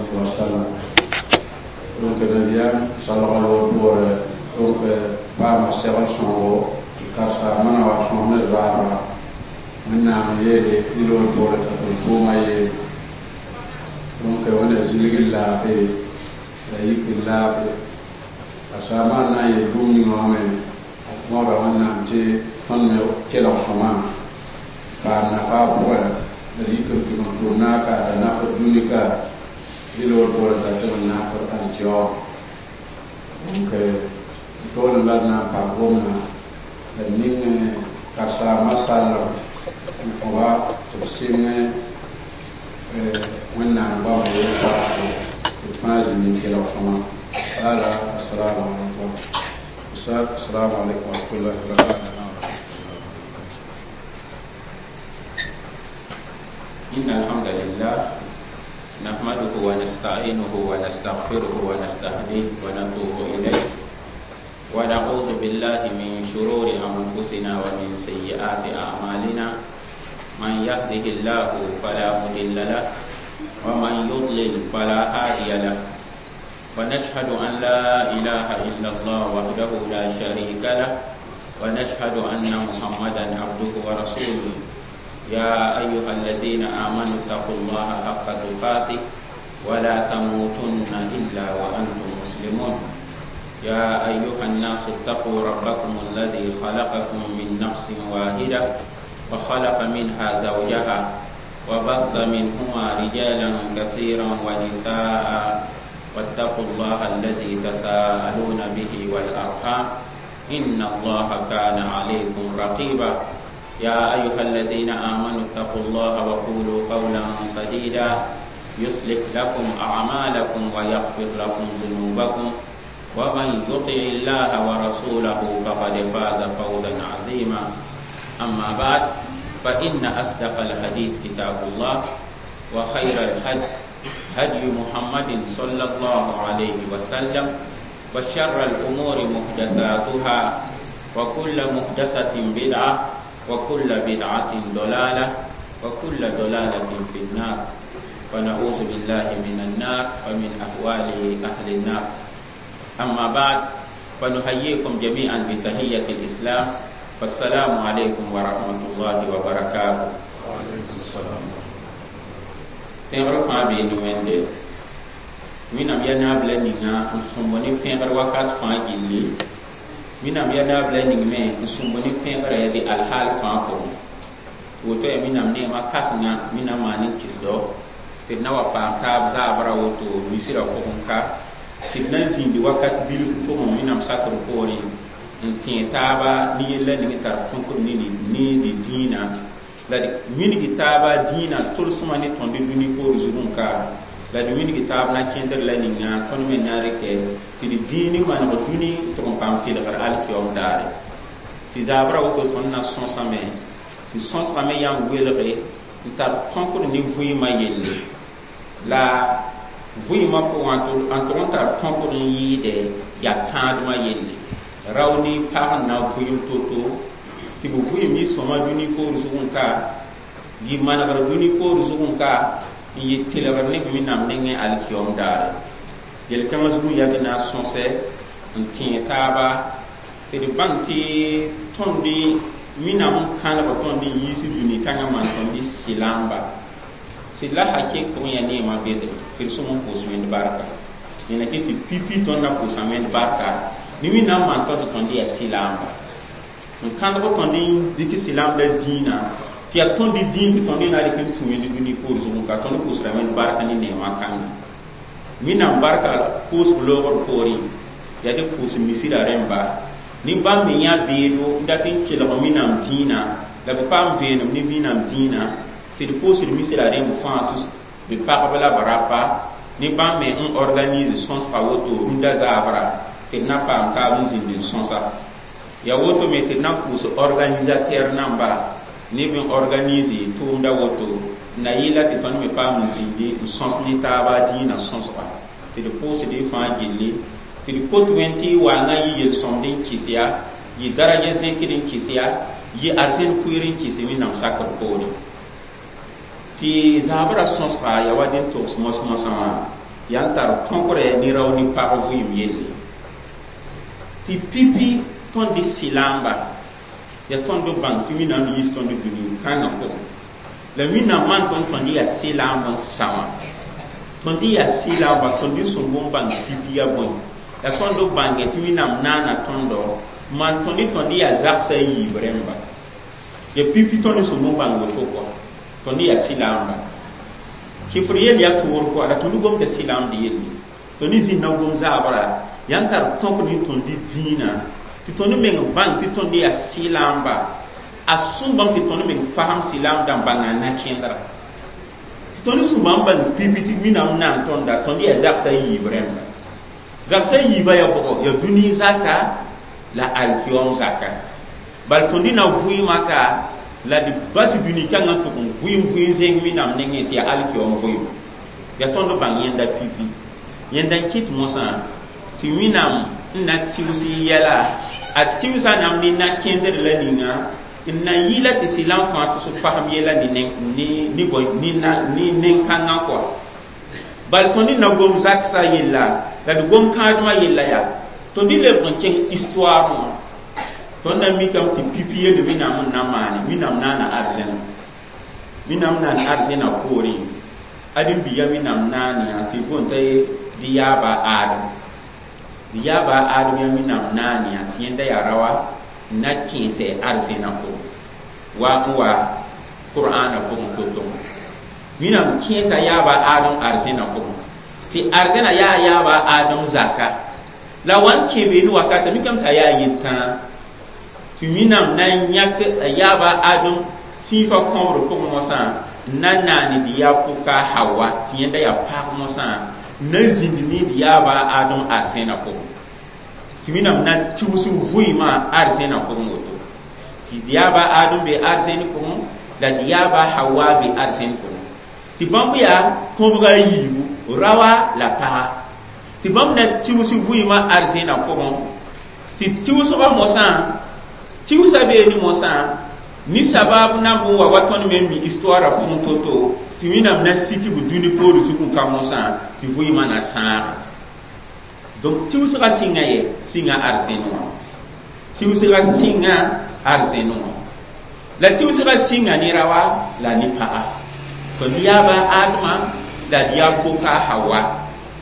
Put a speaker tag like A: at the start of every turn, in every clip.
A: alayhi wa sallam. Donc nabiyam sallallahu alaihi wa donc paama segl sõogo karsaamã na wa sõs ne zaabra wẽnnaam yeele ned wã poorẽ t'a tɩ tʋʋmã yeele donc wẽnna zilg n laafɩ la yik n laafɩ karsaamã n na n yeel bũmb ninga wã me a mõoda wẽnnaam tɩ tõnd me kelg sõma paam nafa a pʋgẽ la d yik n tʋm n tʋm naaka la nafd dũni ka dɩl wã poorẽ t'a tɩ n nafd alkiyaoom donc toolem la d na n pa gomna la d ning karsaamã sallem n kõba tɩ b sɩng wẽnnaam goamã yel-paasgo tɩ d fãa zĩnd n kelg sõma ala. Assalamu alaikum, assalamu alaikum warahmatullahi wabarakatuh.
B: إن الحمد لله نحمده ونستعينه ونستغفره ونستهديه ونتوب إليه ونعوذ بالله من شرور أنفسنا ومن سيئات أعمالنا. من يهده الله فلا مضل له ومن يضلل فلا هادي له. ونشهد أن لا إله إلا الله وحده لا شريك له ونشهد أن محمدا عبده ورسوله. يا أيها الذين آمنوا اتقوا الله حق تقاته ولا تموتن إلا وأنتم مسلمون. يا أيها الناس اتقوا ربكم الذي خلقكم من نفس واحدة وخلق منها زوجها وبث منهما رجالا كثيرا ونساء واتقوا الله الذي تساءلون به والأرحام إن الله كان عليكم رقيبا. يا أيها الذين آمنوا اتقوا الله وقولوا قولا سديدا يصلح لكم أعمالكم ويغفر لكم ذنوبكم ومن يطع الله ورسوله فقد فاز فوزا عظيما. أما بعد فإن أصدق الحديث كتاب الله وخير الهدي هدي محمد صلى الله عليه وسلم وشر الأمور محدثاتها وكل محدثة بدعة وكل بدعة ضلالة وكل ضلالة في النار. ونعوذ بالله من النار ومن أهوال أهل النار. أما بعد فنحييكم جميعا بتحية الإسلام، فالسلام عليكم ورحمة الله وبركاته.
A: وعليكم السلام.
B: Pẽgr fãa bee ne wẽnde wẽnnaam yaa naab la ninga n sõmb ne pẽgr wakat fãa gilli. Wẽnnaam yaa naab la ning me n sõmb ne pẽgrã yaa dɩ alhaal fãa pʋgẽ. Tɩ woto yaa wẽnnaam neemã kãsenga wẽnnaam maan n kisdo tɩ d na wa paam taab zaabra woto misrã pʋgẽ ka tɩ d na n zĩindi wakat bilf pʋgẽ wẽnnaam sakr poorẽ n tẽeg taaba ne yella ning n tar tõkd ne d dĩinã la d wilg taaba dĩinã tʋlsmã ne tõnd dũni poor zugẽ ka la d wilg taab na kẽndr la ninga tõnd me na n rɩkɛ tɩ d dĩini maneg dũni tɩ n paam tɩlgr alkiyoom daare. Tɩ zaabra woto tõnd na sõsame tɩ sõsgame yaa n welge n tar tõkd ne vɩɩmã yelle la vɩɩmã pʋgã n tʋg n tar tõkd n yɩɩdɛ yaa tãadmã yelle rao ne pag n na vɩɩm to-to tɩ b vɩɩm yɩ sõma dũni poor zugẽ ka yɩ manegr dũni poor zugẽ ka n yɩ tɩlgr ne b wẽnnaam nengẽ alkiyoom daare. Yel-kãngã zugẽ yaa tɩ na n sõsɛ n tẽeg taaba tɩ d bãng tɩ tõnd wẽnnaam n kãlg tõnd n yiis dũni kãngã maan tõnd sɩlamba sɩd la hakek pʋgẽ yaa neemã bedre tɩ d sõm n pʋʋs wẽnd barka nena kɩ tɩ pipi tõnd na pʋʋsa wẽnd barka ne wẽnnaam maan tõnd tɩ tõnd yaa sɩlamba n kãndg tõnd n dɩk sɩlamb la dĩinã tɩ yaa tõnd dĩin tɩ tõnd na rɩk n tũ wẽnd dũni poor zugẽ ka tõnd pʋʋsra wẽnd barka ne neemã kãnga. Wẽnnaam barka pʋʋsg loogr poorẽ yaa dɩ pʋʋs misrã rẽmba ne bãmb me yã beedo n dat n kelg wẽnnaam dĩinã la b paam veenem ne wẽnnaam dĩinã tɩ d pʋʋsd misrã rẽmb fãa tʋs b pagb la b rapa ne bãmb me n organise sõsga woto rũndã zaabra tɩ d na paam taab n zĩnd n sõsa. Yaa woto me tɩ d na pʋʋs organisateur namba neb n organise tʋʋmda woto na yɩla tɩ tõnd me paam n zĩndi n sõs ne taaba dĩinã sõsga tɩ d pʋʋsd y fãa gilli tɩ d kot wẽnd tɩ waangã yɩ yel-sõmd n kɩs ya yɩ daraja zẽkd n kɩs ya yɩ arzẽn pʋɩr n kɩs wẽnnaam sakr poore. Tɩ zãabrã sõsga yaa wa dẽn togs mos-mosã wã Yaa n tar tõkre ne rao ne pag vɩɩm yelle tɩ pipi tõnd d sɩlaamba ya tõnd b bãng tɩ Wẽnnaam yiis tõnd dũni kãngã pʋgẽ la Wẽnnaam maan tõnd tõnd yaa sɩlaamb n sa wã tõnd yaa sɩlaamba tõnd d sõmb n bãng pipi ya bõe la tõnd b bãnge tɩ Wẽnnaam naana tõndo maan tõnd yaa zagsã a yiib rẽmba ya pipi tõnd sõmb n bãng woto kɔa tõnd yaa sɩlaamba kɩfr yell yaa toor kɔa la tõnd gomda sɩlaamd yelle tõnd zĩnd na gom zaabra yaa n tar tõk ne tõnd dĩinã tɩ tõnd meng bãng tɩ tõnd yaa sɩlaamba a sõmbame tɩ tõnd meng fasem sɩlaamdã n bãnga na-kẽndra tɩ tõnd sũmbã n bãng pipi tɩ Wẽnnaam naan tõnda tõnd yaa zagsã yiib rẽmba zagsã yiibã yaa bʋgɔ yaa dũni zaka la alkiyom zaka bal tõnd na vʋɩɩmã ka la d bas dũni kãngã n tʋg n vʋɩɩm vʋɩɩm zẽng Wẽnnaam nengẽ tɩ yaa alkiyom vʋɩɩm yaa tõnd bãng yẽnda pipi yẽnda n kɩt mosã tɩ Wẽnnaam n na tɩʋs yɛla a tɩʋsa nam ne na-kẽndr la ninga n na yɩla tɩ sɩlam fãa tʋs fasem yɛla ne nen-kãngã kɔa bal tõnd na gom zaksa yella la d gom kãadmã yella yaa tõnd lebg n kẽng histoire wã tõnd na mikame tɩ pipi yell Wẽnnaam n na maane Wẽnnaam naana arzẽna Wẽnnaam naan arzẽna poorẽ ãdem-biiga Wẽnnaam naan yã tɩ boond t'a dɩ yaaba Adem dɩ yaaba Adem yaa Wẽnnaam naan yã tɩ yẽnda yaa raoa n na kẽesɛ arzẽna pʋgẽ wa n wa Qur'aana pʋgẽ to-to Wẽnnaam kẽesa yaaba Adem arzẽna pʋgẽ tɩ arzẽna yaa yaaba Adem zaka la wa n kẽ beene wakata mikame t'a yaa yel-tãa tɩ Wẽnnaam na n yãk a yaaba Adem sĩifã kõbr pʋgẽ mosã n na naane dɩ yaa pʋka Hawa tɩ yẽnda yaa pag mosã n na zĩnd ne dɩ yaaba Adem arzẽna pʋgẽ tɩ Wẽnnaam na tɩʋs vʋɩɩmã arzẽna pʋgẽ woto tɩ dɩ yaaba Adem be arzẽn pʋgẽ la dɩ yaaba Hawa be arzẽn pʋgẽ tɩ bãmb yaa tõbga a yiibu raoa la paga tɩ bãmb na tɩʋs vʋɩɩmã arzẽna pʋgẽ tɩ tɩʋsgã mosã tɩʋsa beene mosã ni sabab na n wa wa tõnd me mi histoire pʋgẽ to-to tɩ Wẽnnaam na sik b dũni poor zug n ka mosã tɩ vʋɩɩmã na sãaga donc tɩʋsgã sɩnga yɛ sɩnga arzẽn wã tɩʋsgã sɩnga arzẽn wã la tɩʋsgã sɩnga ne raoa la ne paga tõnd yaaba Adama la d yaa poka Hawa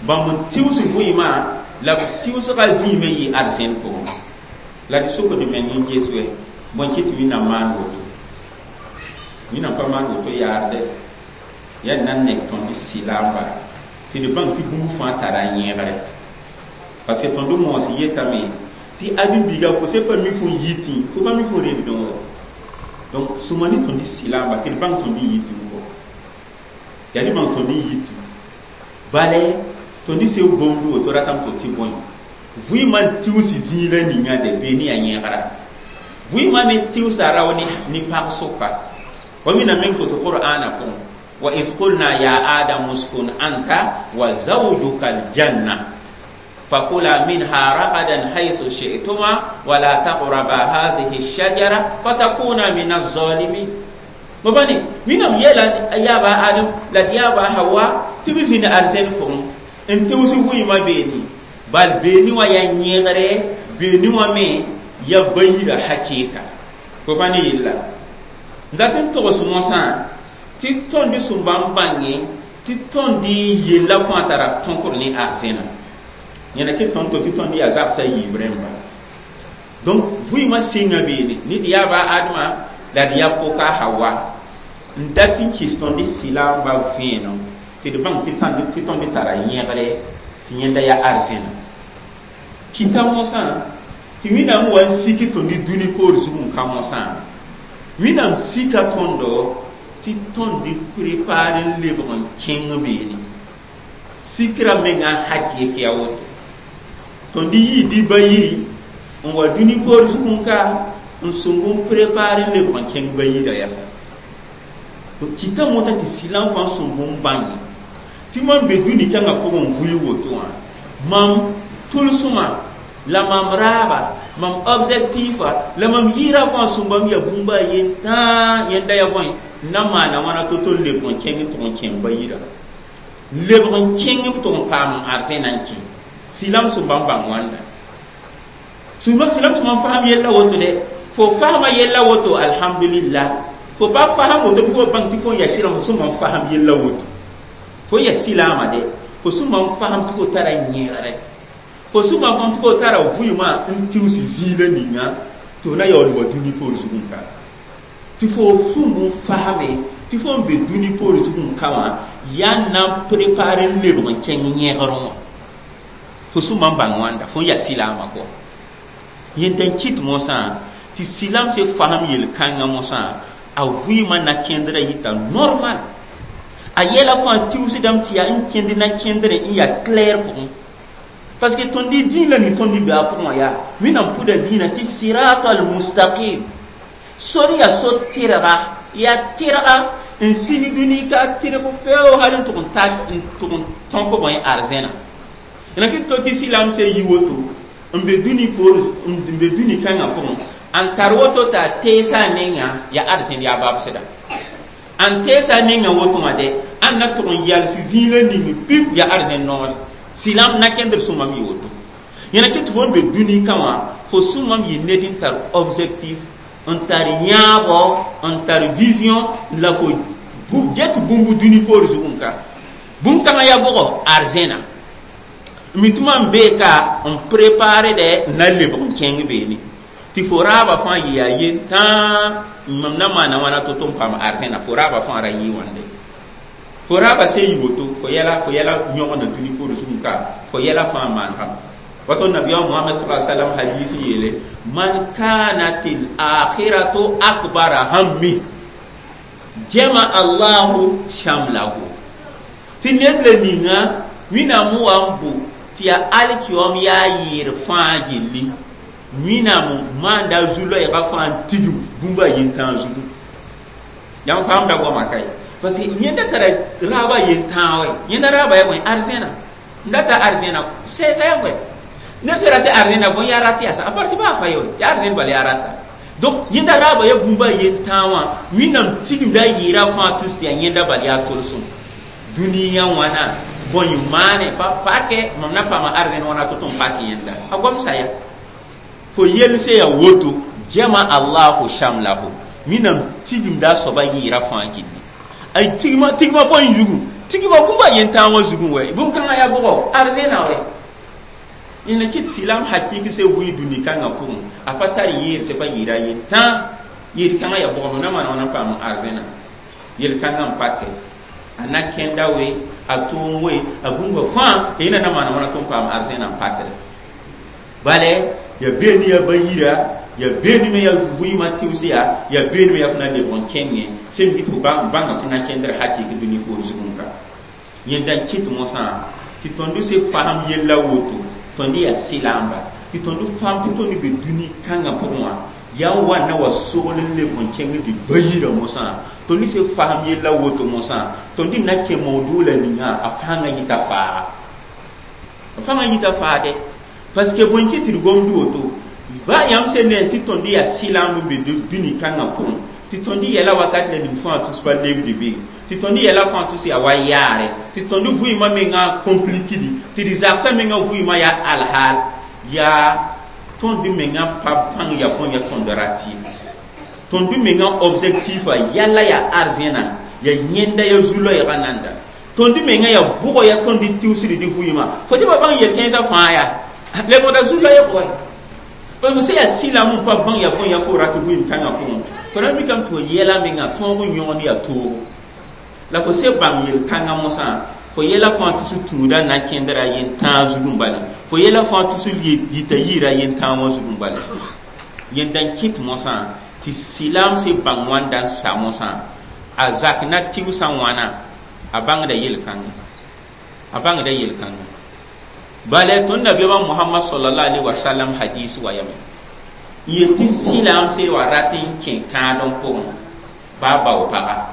B: bãmb n tɩʋs vʋɩɩmã la b tɩʋsgã zĩime yɩ arzẽn pʋgẽ la d sokd meng n ges wɛ bõe kɩ tɩ Wẽnnaam maan woto Wẽnnaam pa maan woto yaarde yaa na n nek tõnd sɩlaamba tɩ d bãng tɩ bũmb fãa tara yẽegre parce que tõnd moos yetame tɩ ãdem-biiga fo se pa mi fo yitẽ fo pa mi fo rebdẽ wã donc sõma ne tõnd sɩlaamba tɩ d bãng tõnd yitẽ kɔ yaa d bãng tõnd yitẽ bala tõnd seo gomd woto ratame tɩ tɩ bõe vʋɩɩmã n tɩʋs zĩig la ninga de bee ne yaa yẽgra vʋɩɩmã me tɩʋsa rao ne pag sʋka wa Wẽnnaam meng to-to Qur'aana pʋgẽ wa iz qulna ya Adamu uskun anta wa zawjuka aljanna fakula minha ragadan haythu shi'tuma wala taqraba hadhihi ash-shajara fatakuna min az-zalimin mabani Wẽnnaam yeela yaaba Adam la d yaaba Hawa tɩ b zĩnd arzẽn pʋgẽ n tɩʋs vʋɩɩmã beene bal beene wã yaa yẽgre beene wã me ya bayira hakɩɩka fo pa ne yella n dat n togs mosã tɩ tõnd sũmba n bãnge tɩ tõnd yella fãa tara tõkr ne arzẽna yẽna kɩ tõnd to tɩ tõnd yaa zagsã yiib rẽmba donc vʋɩɩmã sɩnga beene ne d yaaba Adama la d yaa poka Hawa n dat n kɩs tõnd sɩlaamba vẽenem tɩ d bãng tɩ tõnd tara yẽgre tɩ yẽnda yaa arzẽna kɩta mosã tɩ Wẽnnaam wa n sik tõnd dũni poor zug n ka mosã Wẽnnaam sika tõndo tɩ tõnd prépare n lebg n kẽng beene sikra menga hakɩk ya woto tõnd yii dɩ ba yiri n wa dũni poor zug n ka n sõng n prépare n lebg n kẽng ba yira yasa kɩta mosã tɩ sɩlam fãa sõmb n bãnge tɩ mam be dũni kãngã pʋgẽ n vʋɩ woto wã mam tʋlsmã la mam raaba mam objectifa la mam yɩɩra fãa sõmbame yaa bũmba a yen tãa yẽnda yaa bõe n na maana wãna to-to n lebg n kẽng n tʋg n kẽng ba yira Lebg n kẽng b tʋg n paam n arzẽna n kẽ. Silam sẽn bãmb bãng wãnda. Silam sẽn bãmb fasam yella woto dɛ. Fo fasma yella woto, alhamdulillah. Fo pa fasam woto bɩ fo bãng tɩ fo n yaa sɩlame, fo sẽn bãmb fasam yella woto. Fo yaa silaama dɛ. Fo sẽn bãmb fasam tɩ fo tara yẽegre. Fo sẽn bãmb fasam tɩ fo tara vʋɩɩmã n tigs zĩila ninga tɩ fo na yaool wa dũni poor zugẽ ka. Tɩ fo sũmb n fasame tɩ fo n be dũni poor zugẽ ka wã yaa n na n prepare n lebg n kẽng yẽgrẽ wã. Fo sẽn bãmb bãng wãnda fo n yaa silaamã kɔ. Yẽnda n kɩt mosã tɩ silam se fasam yel-kãngã mosã a vɩɩmã na kẽndrã yita normal. A yɛla fãa tigsdame tɩ yaa n kẽnd na kẽndrẽ n yaa clair pʋgẽ. Parce que tõnd dĩin la ning tõnd be a pʋgẽ wã yaa Wẽnnaam pʋda dĩinã tɩ sirata al-mustaqim. Sor yaa so tɩrga, yaa tɩrga n sig dũni ka tɩrg feo hal n tʋg n ta n tʋg n tõk bõe arzẽna. La kɩ to tɩ silam se yi woto n be dũni poor n be dũni kãngã pʋgẽ n tar woto t'a teesa a menga yaa arzẽn yaa babsda. N teesa a menga woto wã dɛ ãn na tʋg n yals zĩila ning pip yaa arzẽn noore. Silam na kẽndr sõmam yɩ woto. Yẽna kɩ tɩ fo n be dũni kã wã fo sõmam yɩ ned n tar objectif n tar yãabo n tar vision la fo get bũmb dũni poor zugẽ ka. Bũmb-kãngã yaa bʋgɔ arzẽna. Mi tɩ mam bee ka n prepare dɛ n na lebg n kẽng beene. Tɩ fo raaba fãa yɩ yaa yen tãa mam na maana wãna to-to n paam arzẽna fo raaba fãa ra yɩ wãnde. Fo raaba se yɩ woto fo yɛla yõgna dũni poor zugẽ ka fo yɛla fãa maanegame. Wato nabiya Muhammad sallallahu alaihi wasallam hadisi yele man kanatil akhiratu akbara hammi jama Allahu shamlahu. Tɩ ned la ninga Wẽnnaam wa n bʋ tɩ yaa alkiom yaa yɩɩr fãa gilli. Wẽnnaam maanda zu-loɛɛgã fãa n tigim bũmba yentãag zugu. Yãmb faamda goama ka ye. Parce que yẽnda tara raaba yentãag wɛ. Yẽnda raaba yaa bõe arzẽna. N data arzẽna sɛɛsa yaa bõe. Neb sẽn rat arzẽna bõe yaa rat yasa a parti baa fa ye wɛ. Yaa arzẽn bala yaa rata. Donc yẽnda raaba yaa bũmba yentãag wã Wẽnnaam tigimda a yɩɩra fãa tʋs tɩ yaa yẽnda bal yaa tolsem. Dũniyã wãna bõe maane pa pakɛ mam na paama arzẽn wãna to-to n pak yẽnda. A gomsa ya. Fo yelse ya woto jama Allahu shamlahu. Wẽnnaam tigimda a soaba yɩɩra fãa gilli. Ay tigma tigma bõe zugu tigma bũmba yentãag wã zugẽ wɛ bũmb-kãngã yaa bʋgɔ arzẽna wɛ. Yẽnda kɩt silam hakɩk se vʋɩ dũni kãngã pʋgẽ a pa tar yɩɩr se pa yɩɩra yentãag yel-kãngã yaa bʋgɔ na maan wãna n paam arzẽna. Yel-kãngã n pakɛ a na kẽnda we a tʋʋm we a bũmba fãa yẽna na maan wãna tɩ n paam arzẽna n pakre. Bala ya beene ya bayira ya beene me ya vʋɩɩmã tɩʋs yaa ya beene me ya fo na lebg n kẽngẽ sẽn kɩ tɩ fo bãnga fo na kẽndr hakɩk dũni poor zugẽ ka. Yẽnda n kɩt mosã tɩ tõnd se fasam yella woto tõnd yaa sɩlaamba tɩ tõnd fam tɩ tõnd be dũni kãngã pʋgẽ wã yaa n wa na wa sogl n lebg n kẽng tɩ bayirã mosã tõnd se fasam yella woto mosã tõnd na kẽ maoodʋʋla ninga a fãngã yita faaga. A fãngã yita faade parce que bõe kɩ tɩ d gomd woto ba yãmb sẽn ne tɩ tõnd yaa sɩlaamb n be dũni kãngã pʋgẽ tɩ tõnd yɛla wakat la ning fãa tʋs pa lebd be tɩ tõnd yɛla fãa tʋs yaa wa yaare tɩ tõnd vʋɩɩmã mengã complikidi tɩ d zagsã mengã vʋɩɩmã yaa alhaal yaa tõnd mengã pa bãng ya bõe ya tõnd rat ye. Tõnd mengã objectif a yalla yaa arzẽna ya yẽnda ya zu-loɛɛgã nanda. Tõnd mengã yaa bʋgɔ ya tõnd tɩʋsd dɩ vʋɩɩmã fo tɩ pa bãng yel-kẽensã fãa yaa lebgda zu-loɛɛg wɛ. Parce que sẽn yaa sɩlam n pa bãng ya bõe ya fo rat vʋɩɩm kãngã pʋgẽ fo na mikame tɩ fo yɛla mengã tõog n yõgd yaa toogo. La fo se bãng yel-kãngã mosã fo yɛla fãa tʋs tũuda na kẽndra yentãag zugẽ bala fo yɛla fãa tʋs yita yɩɩra yentãag wã zugẽ bala. Yẽnda n kɩt mosã tɩ sɩlam se bãng wãnda n sa mosã a zak na tɩʋsã wãna a bãngda yel-kãngã a bãngda yel-kãngã. Bala tõnd nabiyaamã Muhammad sallallahu alaihi wasallam hadis wa yame yel tɩ sɩlam se wa rat n kẽ kãadem pʋgẽ baa bao paga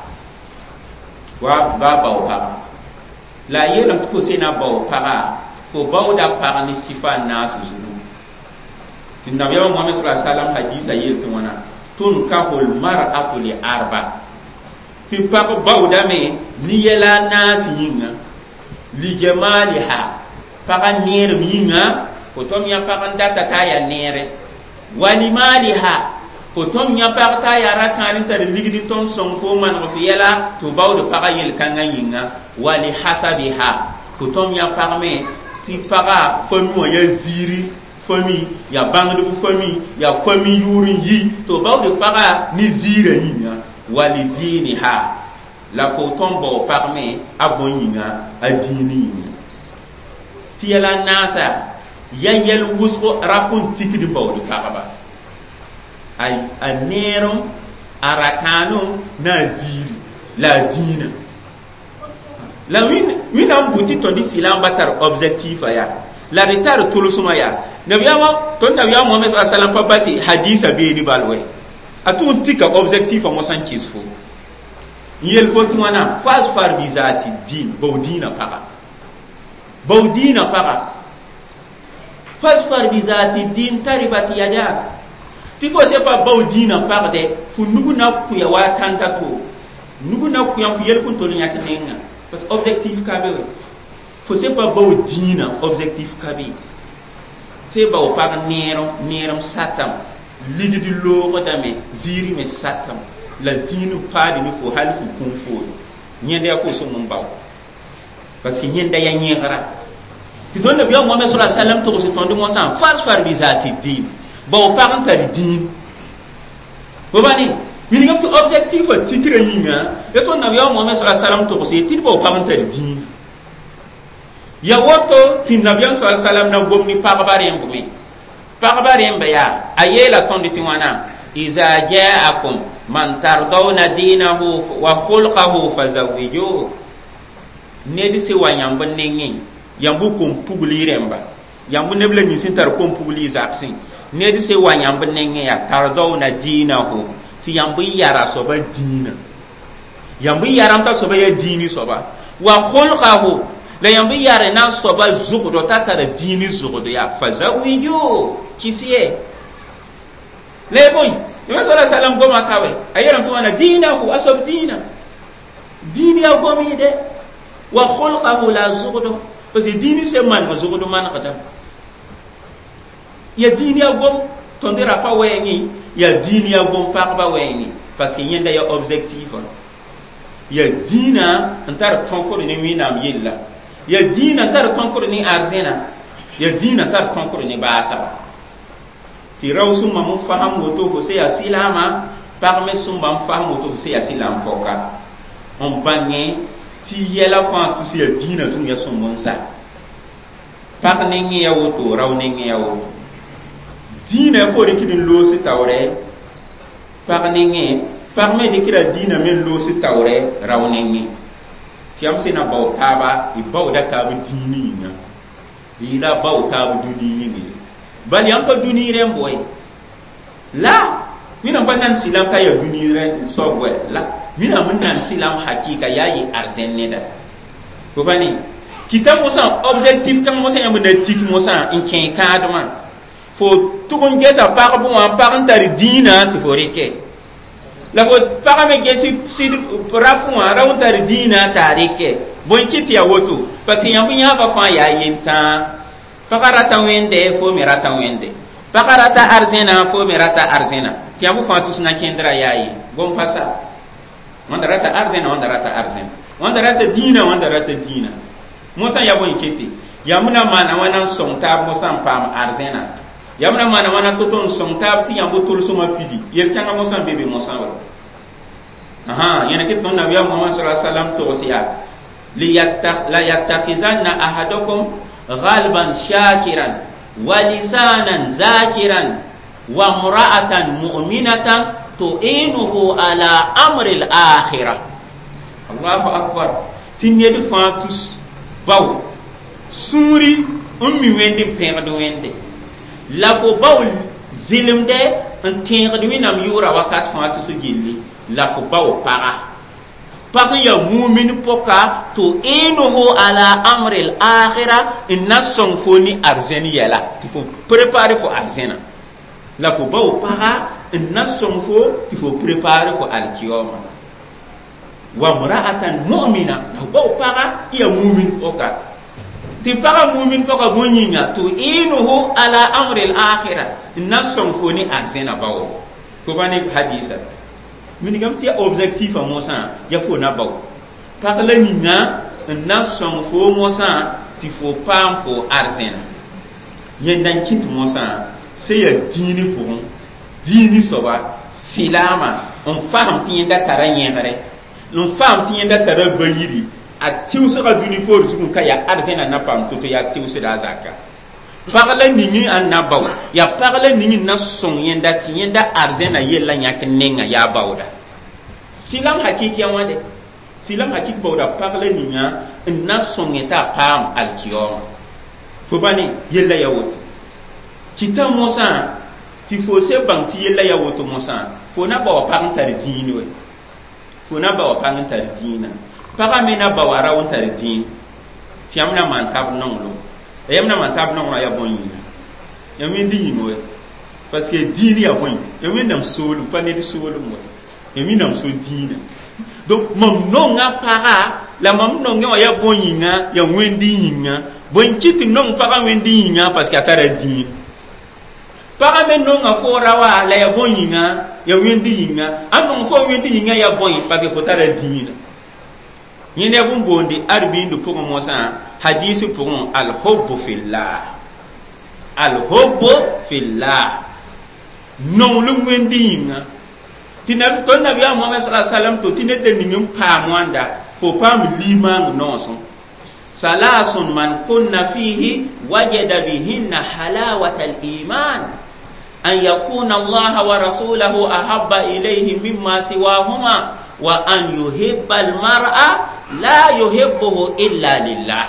B: wa baa bao paga la a yeelame tɩ fo se na bao paga fo baooda pag ne sɩfa n naas zugu tɩ nabiyaamã Muhammad sallallahu alaihi wasallam hadisa yel tɩ wãna tunkahu lmar'atu li arba tɩ pag baoodame ne yɛla a naas yĩnga. Lijamaliha paga neerem yĩnga fo tõm yã pag n data t'a yaa neere wa limaliha fo tõm yã pag t'a yaa rakãan n tar ligd n tõnd sõng fo maneg f yɛla tɩ f baood pagã yel-kãngã yĩnga wa lihasabiha fo tõm yã pag me tɩ paga fami wã yaa ziiri fami yaa bãngdb fami yaa fami yʋʋr n yi tɩ f baood pagã ne ziirã yĩnga wa lidiniha la fo tõm bao pag me a bõe yĩnga a dĩin yĩnga tɩ yɛla naasa ya yɛl wʋsgo rap n tikd n baood pagba a neerem a rakãanem na a ziiri la a dĩinã la wẽnnaam bʋ tɩ tõnd sɩlam ba tar objectif yaa la d tar tʋlsmã yaa nabiyaamã tõnd nabiyaam mohamɛd sa salam pa base hadisa beene bal wɛ a tʋg n tika objectif a mosã n kɩs fo n yel fo tɩ wãna fasfar bi zati din bao dĩinã paga bao dĩinã paga fasfar bi zati din taribat yadak tɩ fo se pa bao dĩinã pagdɛ fo nug na kʋya wa a tãnka to nug na kʋya fo yel fõn tol yãk nenga parce que objectif ka be we fo se pa bao dĩinã objectif ka be se bao pag neerem neerem satam ligd loogdame ziiri me satam la dĩin paadi ne fo hal fo kũm foore yẽnda yaa fo sõng n bao parce que yẽnda yaa yẽgra tɩ tõnd nabiyaam mohamɛd sa sallam togs tõnd mosã fasfar bi zati din bao pag n tar dĩin fo ba ne wilgame tɩ objectif a tikrã yĩnga ya tõnd nabiyaam mohamɛd sa sallam togse tɩ d bao pag n tar dĩin ya woto tɩ nabiyaam sa sallam na gom ne pagba rẽmb me pagba rẽmba yaa a yeela tõnd tɩ wãna iza jaakum man tardawna dinahu wa khulqahu fazawijuhu ned sẽn wa yãmb nengẽ yãmb kom-pugli rẽmba yãmb neb la nins sẽn tar kom-pugli zagsẽ ned sẽn wa yãmb nengẽ yaa tardawna dinahu tɩ yãmb yara soaba dĩinã yãmb yaram t'a soaba yaa dĩini soaba wa khulqahu la yãmb yare na soaba zʋgdo t'a tara dĩini zʋgdo yaa fazawiju kɩs ye la y bõe Nabi sallallahu alaihi wasallam goma kawe a yeelame tɩ wãna dĩinahu a soab dĩinã dĩin yaa gom yɩde wa khulqahu la zʋgdo parce que dĩini sẽn maneg zʋgd manegdame ya dĩin yaa gom tõnd rapa wɛɛngẽ yaa dĩin yaa gom pagba wɛɛngẽ parce que yẽnda yaa objectif ya dĩinã n tar tõkd ne wẽnnaam yella ya dĩinã n tar tõkd ne arzẽna ya dĩinã n tar tõkd ne baasaba tɩ rao sũmbã n fasem woto fo se yaa sɩlaamã pag me sũmbã n fasem woto fo se yaa sɩlaam pɔka n bãngẽ tɩ yɛla fãa tʋs yaa dĩinã tʋm ya sõmb n sa pag nengẽ ya woto rao nengẽ ya woto dĩinã fo rɩkd n loos taoorɛ pag nengẽ pag me dɩkra dĩinã me n loos taoorɛ rao nengẽ tɩ yãmb sẽn na bao taaba y baooda taab dĩin yĩnga y la bao taab dũni yĩnga bal yãmb pa dũni rẽmb wɛ la wẽnnaam pa nan sɩlam t'a yaa dũni rẽ soab wɛ la wẽnnaam n nan sɩlam hakɩɩka yaa yɩ arzẽn neda fo pa ne kɩta mosã objectif kãng mosã yãmb na tik mosã n kẽ kãadmã fo tʋg n gesa pagb wã pag n tar dĩinã tɩ fo rɩkɛ la fo pagã me ges sɩd rap wã ra n tar dĩinã t'a rɩkɛ bõe kɩ tɩ yaa woto parce que yãmb yãabã fãa yaa yentãa pagã rata wẽnde fo me rata wẽnde pagã rata arzẽna fo me rata arzẽna tɩ yãmb fãa tʋs na kẽndrã yaa ye gom pa sa wãnda rata arzẽna wãnda rata arzẽna wãnda rata dĩinã wãnda rata dĩinã mosã yaa bõe kete yãmb na maana wãna n sõng taab mosã n paam arzẽna yãmb na maana wãna to-to n sõng taab tɩ yãmb tʋlsmã pidi yel-kãngã mosã n be be mosã wa ãhã yẽna kɩ tõnd nabiyaam mohamad sa sallam togs yaa la yattakhizanna ahadakum ghalban shakiran wa lisanan zakiran wa mra'atan mu'minatan tu'inuhu ala amri al-akhirah Allahu akbar tɩ ned fãa tus bao sũuri n mi wẽnd n pẽgd wẽnde la fo bao zɩlemdɛ n tẽegd wẽnnaam yʋʋra wakat fãa tɩ so gilli la fo bao paga pag n yaa mumin pʋka tu'inuhu ala amri al-akhira n na sõng fo ne arzẽn yɛla tɩ fo prépare fo arzẽna la fo bao paga n na sõng fo tɩ fo prépare fo alkiyoma wa mra'atan mu'mina la fo bao paga n yaa mumin pʋka Tɩ pagã mumin pɔga bõe yĩnga tu'inuhu ala amri al-akhirah n na sõng fo ne arzẽna baoogo fo pa ne hadisa minigame tɩ ya objectif a mosã ya fo na bao pag la ninga n na sõng fo mosã tɩ fo paam fo arzẽna yẽnda n kɩt mosã sẽn yaa dĩini pʋgẽ dĩini soaba sɩlaamã n fasem tɩ yẽnda tara yẽgre n faam tɩ yẽnda tara ba-yiri a tɩʋsga dũni poor zugẽ ka yaa arzẽna na paam to-to yaa tɩʋsda a zaka pag la ning n na bao yaa pag la ning n na sõng yẽnda tɩ yẽnda arzẽna yella yãk nenga yaa baooda sɩlam hakik ya wã de sɩlam hakik baooda pag la ninga n na sõng t'a paam alkiyooma fo pa ne yella ya woto kɩta mosã tɩ fo se bãng tɩ yella ya woto mosã fo na baoa pag n tar dĩin we fo na baoa pag n tar dĩinã pagã me na baoa rao n tar dĩin tɩ yãmb na maan tab nonglem yãmb na maan tab nonglem yaa bõe yĩnga yãmb wẽnd yĩng we parce que dĩin yaa bõe yãmb wẽnnaam soolem pa ned soolem we yãmb wẽnnaam so dĩinã donc mam nonga paga la mam nongẽ wã yaa bõe yĩnga yaa wẽnd yĩnga bõe n kɩt tɩ nong pagã wẽnd yĩnga parce que a tara dĩin pagã me nonga fo ra wã la yaa bõe yĩnga yaa wẽnd yĩnga a nong fo wẽnd yĩnga yaa bõe parce que fo tara dĩinã yẽnd yaa bũmb boondi arbiindi pʋgẽ mosã hadis pʋgẽ alhubbu fillah alhubbu fillah nonglem wẽnd yĩnga tɩ tõnd nabiyaam Mohamɛd sala salam to tɩ ned da ning n paam wãnda fo paam limaang noosẽ salasun man kunna fihi wajada bihinna halawata aliman an yakuna allaha wa rasulahu ahabba ilayhi mimma siwahuma wa an yuhibba almar'a la yuhibbuhu illa lillah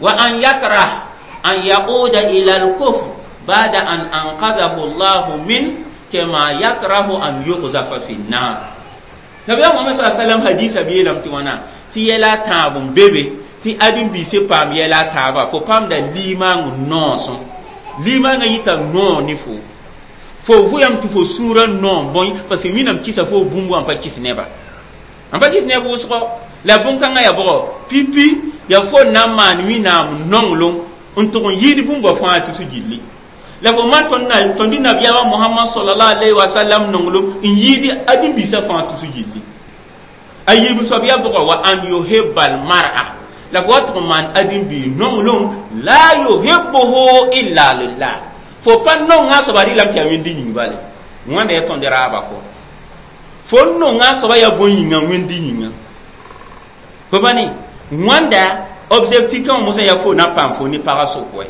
B: wa an yakrah an yauda ila alkufr ba'da an anqadhahu allahu min kama yakrahu an yuqzafa fi nnar nabiya Muhammad sallallahu alaihi wasallam hadisa beelame tɩ wãna tɩ yɛla a tãab n be be tɩ ãdem-biisã paam yɛla a taaba fo paamda limaang noosẽ limaangã yita noor ne fo fo vʋyame tɩ fo sũurã noom bõe parce que wẽnnaam kɩsa fo bũmb wã n pa kɩs neba n pa kɩs neb wʋsgo la bũn-kãngã yaa bʋgɔ pipi yaa fo na n maan wẽnnaam nonglem n tʋg n yɩɩd bũmba fãa tʋs gilli la fo man tõnd nabiyaamã Mohamad sallallahu alaihi wa sallam nonglem n yɩɩd ãdem-biisã fãa tʋs gilli a yiib soab yaa bʋgɔ wa an yuhibba almar'a la fo wa tʋg n maan ãdem-bii nonglem la yuhibbuhu illa lillah fo pa nonga soaba rɩlame tɩ yaa wẽnd yĩng bale wãnda yaa tõnd raaba kɔ fo n nonga soaba yaa bõe yĩnga wẽnd yĩnga fo pa ne wãnda objectif kãngã mosã yaa fo na paam fo ne pagã sʋk wɛ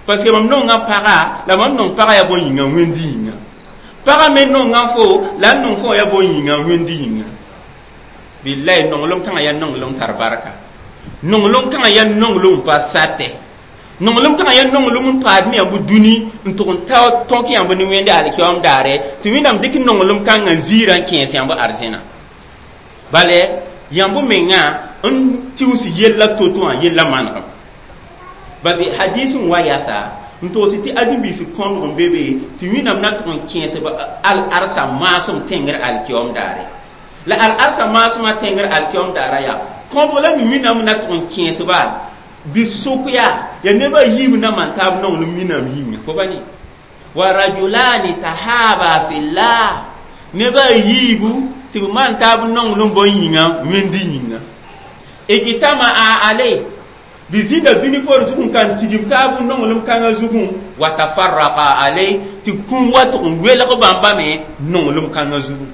B: parce que mam nonga paga la mam nong paga yaa bõe yĩnga wẽnd yĩnga pagã me nonga fo la n nong fo yaa bõe yĩnga wẽnd yĩnga billahi nonglem kãngã yaa nonglem tar barka nonglem kãngã yaa nonglem pa satɛ nonglem kãngã yaa nonglem n paad ne yãmb dũni n tʋg n ta tõk yãmb ne wẽnde alkiyoom daare tɩ wẽnnaam dɩk nonglem kãngã ziirã n kẽes yãmb arzẽna bale yãmb mengã n tɩʋs yella to-to wã yella manegem base hadis n wa yasa n togs tɩ ãdem-biis kõbg n be be tɩ wẽnnaam na tʋg n kẽes al-arsa maasem tẽngr alkiyoom daare la al-arsa maasmã tẽngr alkiyoom daara yaa kõbg la mi wẽnnaam na tʋg n kẽesba bɩ sʋk yaa ya nebã yiib na maan taab nonglem wẽnnaam yĩnga fo pa ne wa rajulani tahaba fillah nebã yiibu tɩ b maan taab nonglem bõe yĩnga wẽnd yĩnga ijtama'a alay bɩ zĩnda dũni poor zugẽ kan tigim taab nonglem kãngã zugẽ wa tafarraqa alay tɩ kũum wa tʋg n welg bãmba me nonglem kãngã zugẽ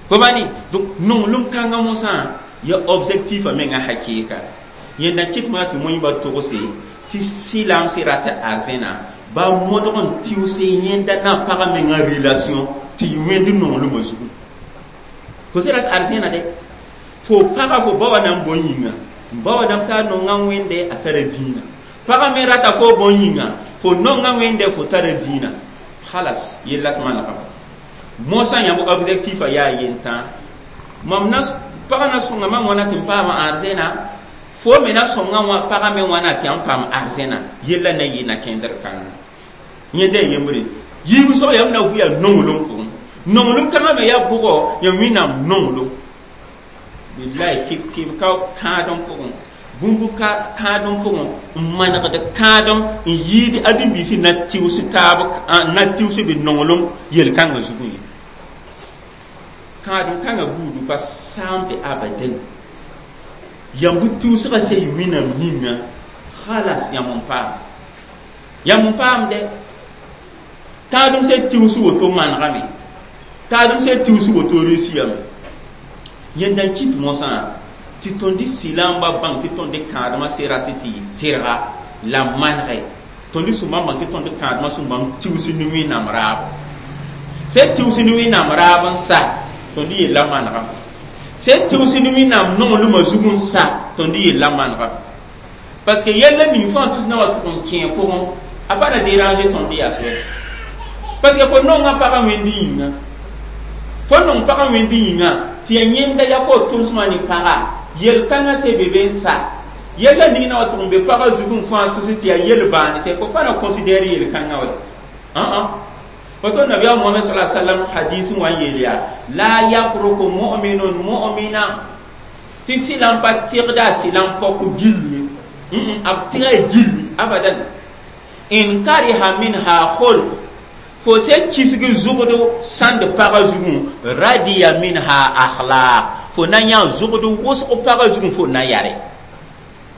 B: fo pa ne donc nonglem kãngã mosã ya objectif a menga hakɩɩka yẽnda kɩt maa tɩ moẽba togse tɩ sɩlamsɩ rat arzẽna ba modg n tɩʋse yẽnda na pagã menga relation tɩ yɩ wẽnd nonglmã zugu fo sẽn rat arzẽna de fo paga fo ba wa na n bõe yĩnga ba wa dãmb t'a nonga wẽnde a tara dĩinã pagã me rata fo bõe yĩnga fo nonga wẽnde fo tara dĩinã halas yellas manegame mosã yãmb objectif a yaa yentã mam na pagã na sõnga mam wãna tɩ n paama arzẽna fo me na sõnga wã pagã me wãna tɩ yãmb paam arzẽna yella na yɩ na-kẽndr kãnga yẽnda yembre yiib soab yãmb na vʋ yaa nonglem pʋgẽ nonglem kãngã me yaa bʋgɔ yaa wẽnnaam nonglem billahi tɩb tɩb ka kãadem pʋgẽ Bũmb kãadem pʋgẽ n manegd kãadem n yɩɩd ãdem-biisã na tɩʋs taab na tɩʋs b nonglem yel-kãngã zugẽ ye. Kãadem kãngã buudu pa saamde abadan. Yãmb tɩʋsgã sã y Wẽnnaam yĩnga khalas yãmb n paam. Yãmb n paamde. Kãadem sã tɩʋs woto manegame. Kãadem sã tɩʋs woto reusiyame. Yẽnda n kɩt mosã tɩ tõnd sɩlamba bãng tɩ tõnd kãadmã se rat tɩ yɩ tɩrga la manegɛ. Tõnd sũmbã bãng tɩ tõnd kãadmã sũmbãmb tɩʋs ne Wẽnnaam raabo. Sã tɩʋs ne Wẽnnaam raab n sa tõnd yella manegame. Sã tɩʋs ne Wẽnnaam nonglmã zug n sa tõnd yella manegame. Parce que yella ning fãa tus na wa tʋg n kẽ pʋgẽ a pa na déranger tõnd yas wɛ. Parce que fo nonga pagã wẽnd yĩnga. Fo nong pagã wẽnd yĩnga tɩ ya yẽnda yaa fo tʋmsmã ne paga yel-kãngã se be be n sa. Yella ning na wa tʋg n be pagã zug n fãa tus tɩ yaa yel-bãanse fo pa na considère yel-kãngã wɛ. Woto Nabiyaam Mohamɛd sallallahu alaihi wasallam hadis n wa n yeel yaa la yafruku mu'minun mu'mina tɩ sɩlam pa tɩgda a sɩlam pɔk gill ye. B tɩga gill abadan. In kariha minha khulq fo se kisg zugd sãnd pagã zugẽ radiya minha akhlaq fo na yã zugd wʋsg pagã zugẽ fo na yare.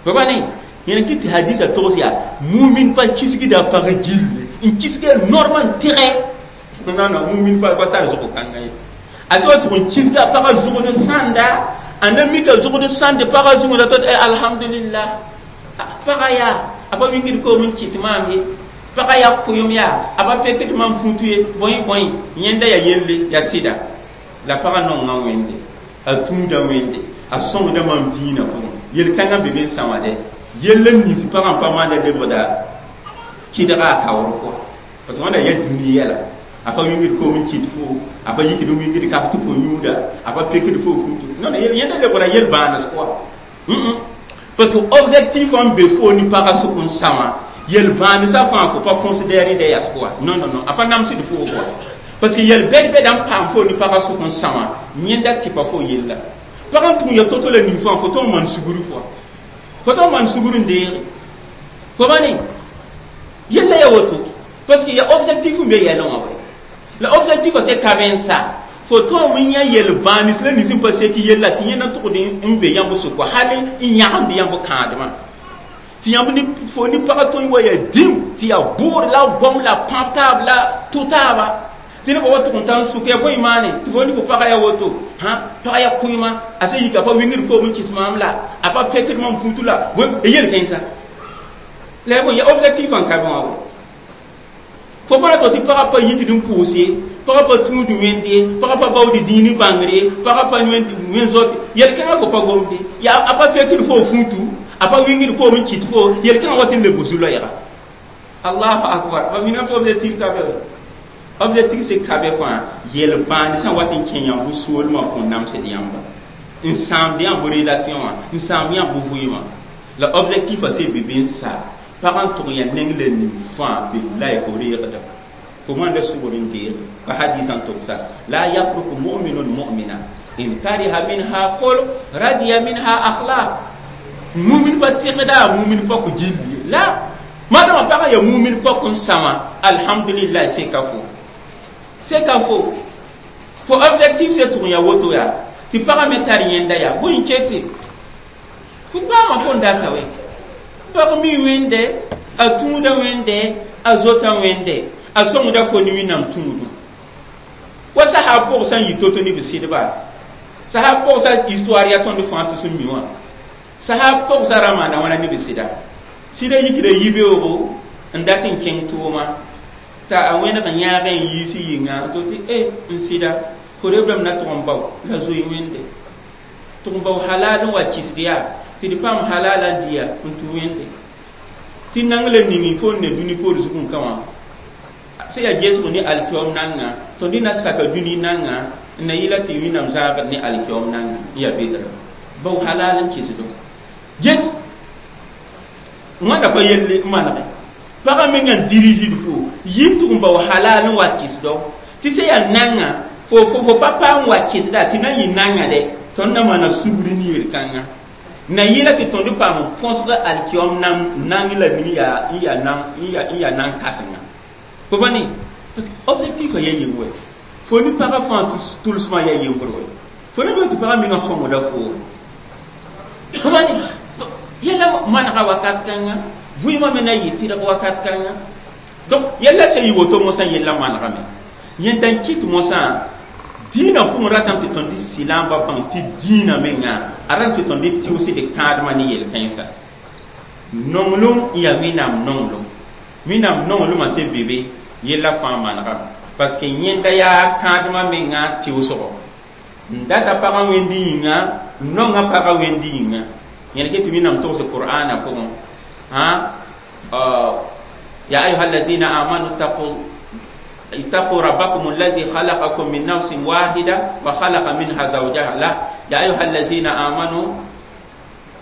B: Fo pa ne yẽn kɩ tɩ hadisa togs yaa mumin pa kisgda a pagã gill n kisga normal tɩgɛ. Non non, mumin pa tar zʋg kãngã ye. A sã wa tʋg n kisga a pagã zugd sãnda a na mika zugd sãnd pagã zugẽ la tɩ alhamdulillah pagã yaa a pa wingd koom n kɩt maam ye. Pagã yaa kʋɩem yaa a pa pekd mam futu ye bõe bõe yẽnda yaa yelle yaa sɩda la pagã nonga Wẽnde a tũuda Wẽnde a sõngda mam dĩinã pʋgẽ yel-kãngã be be n sã wã dɛ yell n nins pagã n pa maanda lebgda kɩdga a kaoor pʋga parce que wãnda yaa dũni yɛla a pa wingd koom n kɩt fo a pa yikd n wingd kaf tɩ fo yũuda a pa pekd fo futu non yẽnda lebgra yel-bãanes pʋga. Parce que objectif n be fo ne pagã sʋk n sã wã yel-bãanesã fãa fo pa considérer dɛ yas pʋga. Non non non, a pa namsd fo pʋga parce que yel-bɛd-bɛda n paam fo ne pagã sʋk n sã wã yẽnda tɩpa fo yella. Pagã n tʋg n ya to-to la ning fãa fo tõnd maan sugr pʋga fo tõnd maan sugr n deege fo ba ne yella ya woto parce que ya objectif n be yɛlẽ wã wɛ la objectif a se ka be n sa fo tõem n yã yel-bãanes la nins n pa sek yella tɩ yẽna tʋgd n be yãmb sʋka hal n yãgemd yãmb kãadmã tɩ yãmb ne fo ne pagã tõe wa yaa dĩm tɩ yaa bʋʋr la goam la pãb taab la tʋ taaba tɩ nebã wa tʋg n tar n sʋk yaa bõe maane tɩ fo ne fo pagã yaa woto hã pagã yaa kʋɩma a sẽn yika pa wingd koom n kɩs maam la a pa pekd mam futu la yel-kãensa la ya bõe ya objectif n ka be wã wɛ. Fo pa ra tɩ pagã pa yikd n pʋʋs ye pagã pa tũud wẽnd ye pagã pa baood dĩin bãngr ye pagã pa wẽn zot yel-kãngã fo pa gomde yaa a pa pekd fo futu a pa wingd koom n kɩt fo yel-kãngã wat n leb zu-loɛɛga. Allahu akbar ba mina tɩ objectif ka be objectif se ka be fãa yel-bãand sã wat n kẽ yãmb soolmã kõn namsd yãmba n sãamd yãmb relation wã n sãamd yãmb vɩɩmã la objectif a se be be n sa pagã n tʋg ya neng la ning fãa billahi fo reegda fo maanda sugr n deege pa hadisã n togsa la yafruku mu'minun mu'mina in kariha minha khulq radiya minha akhlaq mumin pa tɩgda mumin pa kʋ gilli la madama pagã ya mumin pɔk n sã wã alhamdulillah seka fo seka fo fo objectif se tʋg ya woto yaa tɩ pagã me tar yẽnda yaa bõe n kete fo paama fo n data wɛ pag mi wẽnde a tũuda wẽnde a zota wẽnde a sõngda fo ne Wẽnnaam tũudu wa sahab pʋg sã n yɩ to-to ne b sɩdba sahab pʋgsa histoire yaa tõnd fãa tɩ sẽn mi wã sahab pʋgsa ra maana wãna ne b sɩda sɩda yikda yibeoogo n dat n kẽng tʋʋma t'a a wẽneg n yãag n yiis yĩnga to tɩ e n sɩda fo rebrame na tʋg n bao la zoe wẽnde tʋg n bao halal n wa kɩsd yaa tɩ d paam halala n dɩya n tũ wẽnde tɩ nang la ningi fo n ne dũni poor zugẽ ka wã sẽn yaa gesg ne alkiom nanga tõnd na saka dũni nanga n na yɩla tɩ Wẽnnaam zãagd ne alkiom nanga n yaa bedra bao halal n kɩsdo ges wãnda pa yelle n manege pagã mengã n dirigd fo yib tʋg n bao halal n wa kɩsdo tɩ sẽn yaa nanga fo pa paam wa kɩsda tɩ na n yɩ nanga dɛ tõnd na maana sugri ne yel-kãngã Na yɩla tɩ tõnd paam põsg alkiom nang la ning yaa n yaa nan n yaa nan kãsenga fo pa ne parce que objectif a yaa yem wɛ fo ne pagã fãa tʋlsmã yaa yembr wɛ fo ne tɩ pagã menga sõmda fo fo pa ne yɛla manega wakat kãnga vɩɩmã me na yɩ tɩrg wakat kãnga donc yɛla sẽn yɩ woto mosã yella manegame yẽnda n kɩt mosã dĩinã pʋgẽ ratame tɩ tõnd sɩlãmbã bãng tɩ dĩinã menga a ratame tɩ tõnd tɩʋsd kãadmã ne yel-kãensa nonglem n yaa wẽnnaam nonglem wẽnnaam nonglmã sẽn be be yella fãa manegame parce que yẽnda yaa kãadmã menga tɩʋsgo n data pagã wẽnd yĩnga n nonga pagã wẽnd yĩnga yẽn ke tɩ wẽnnaam togse qur'ana pʋgẽ hã ya ayuha allazina amanu اتقوا ربكم الذي خلقكم من نفس واحدة وخلق منها زوجها. لا، يا أيها الذين آمنوا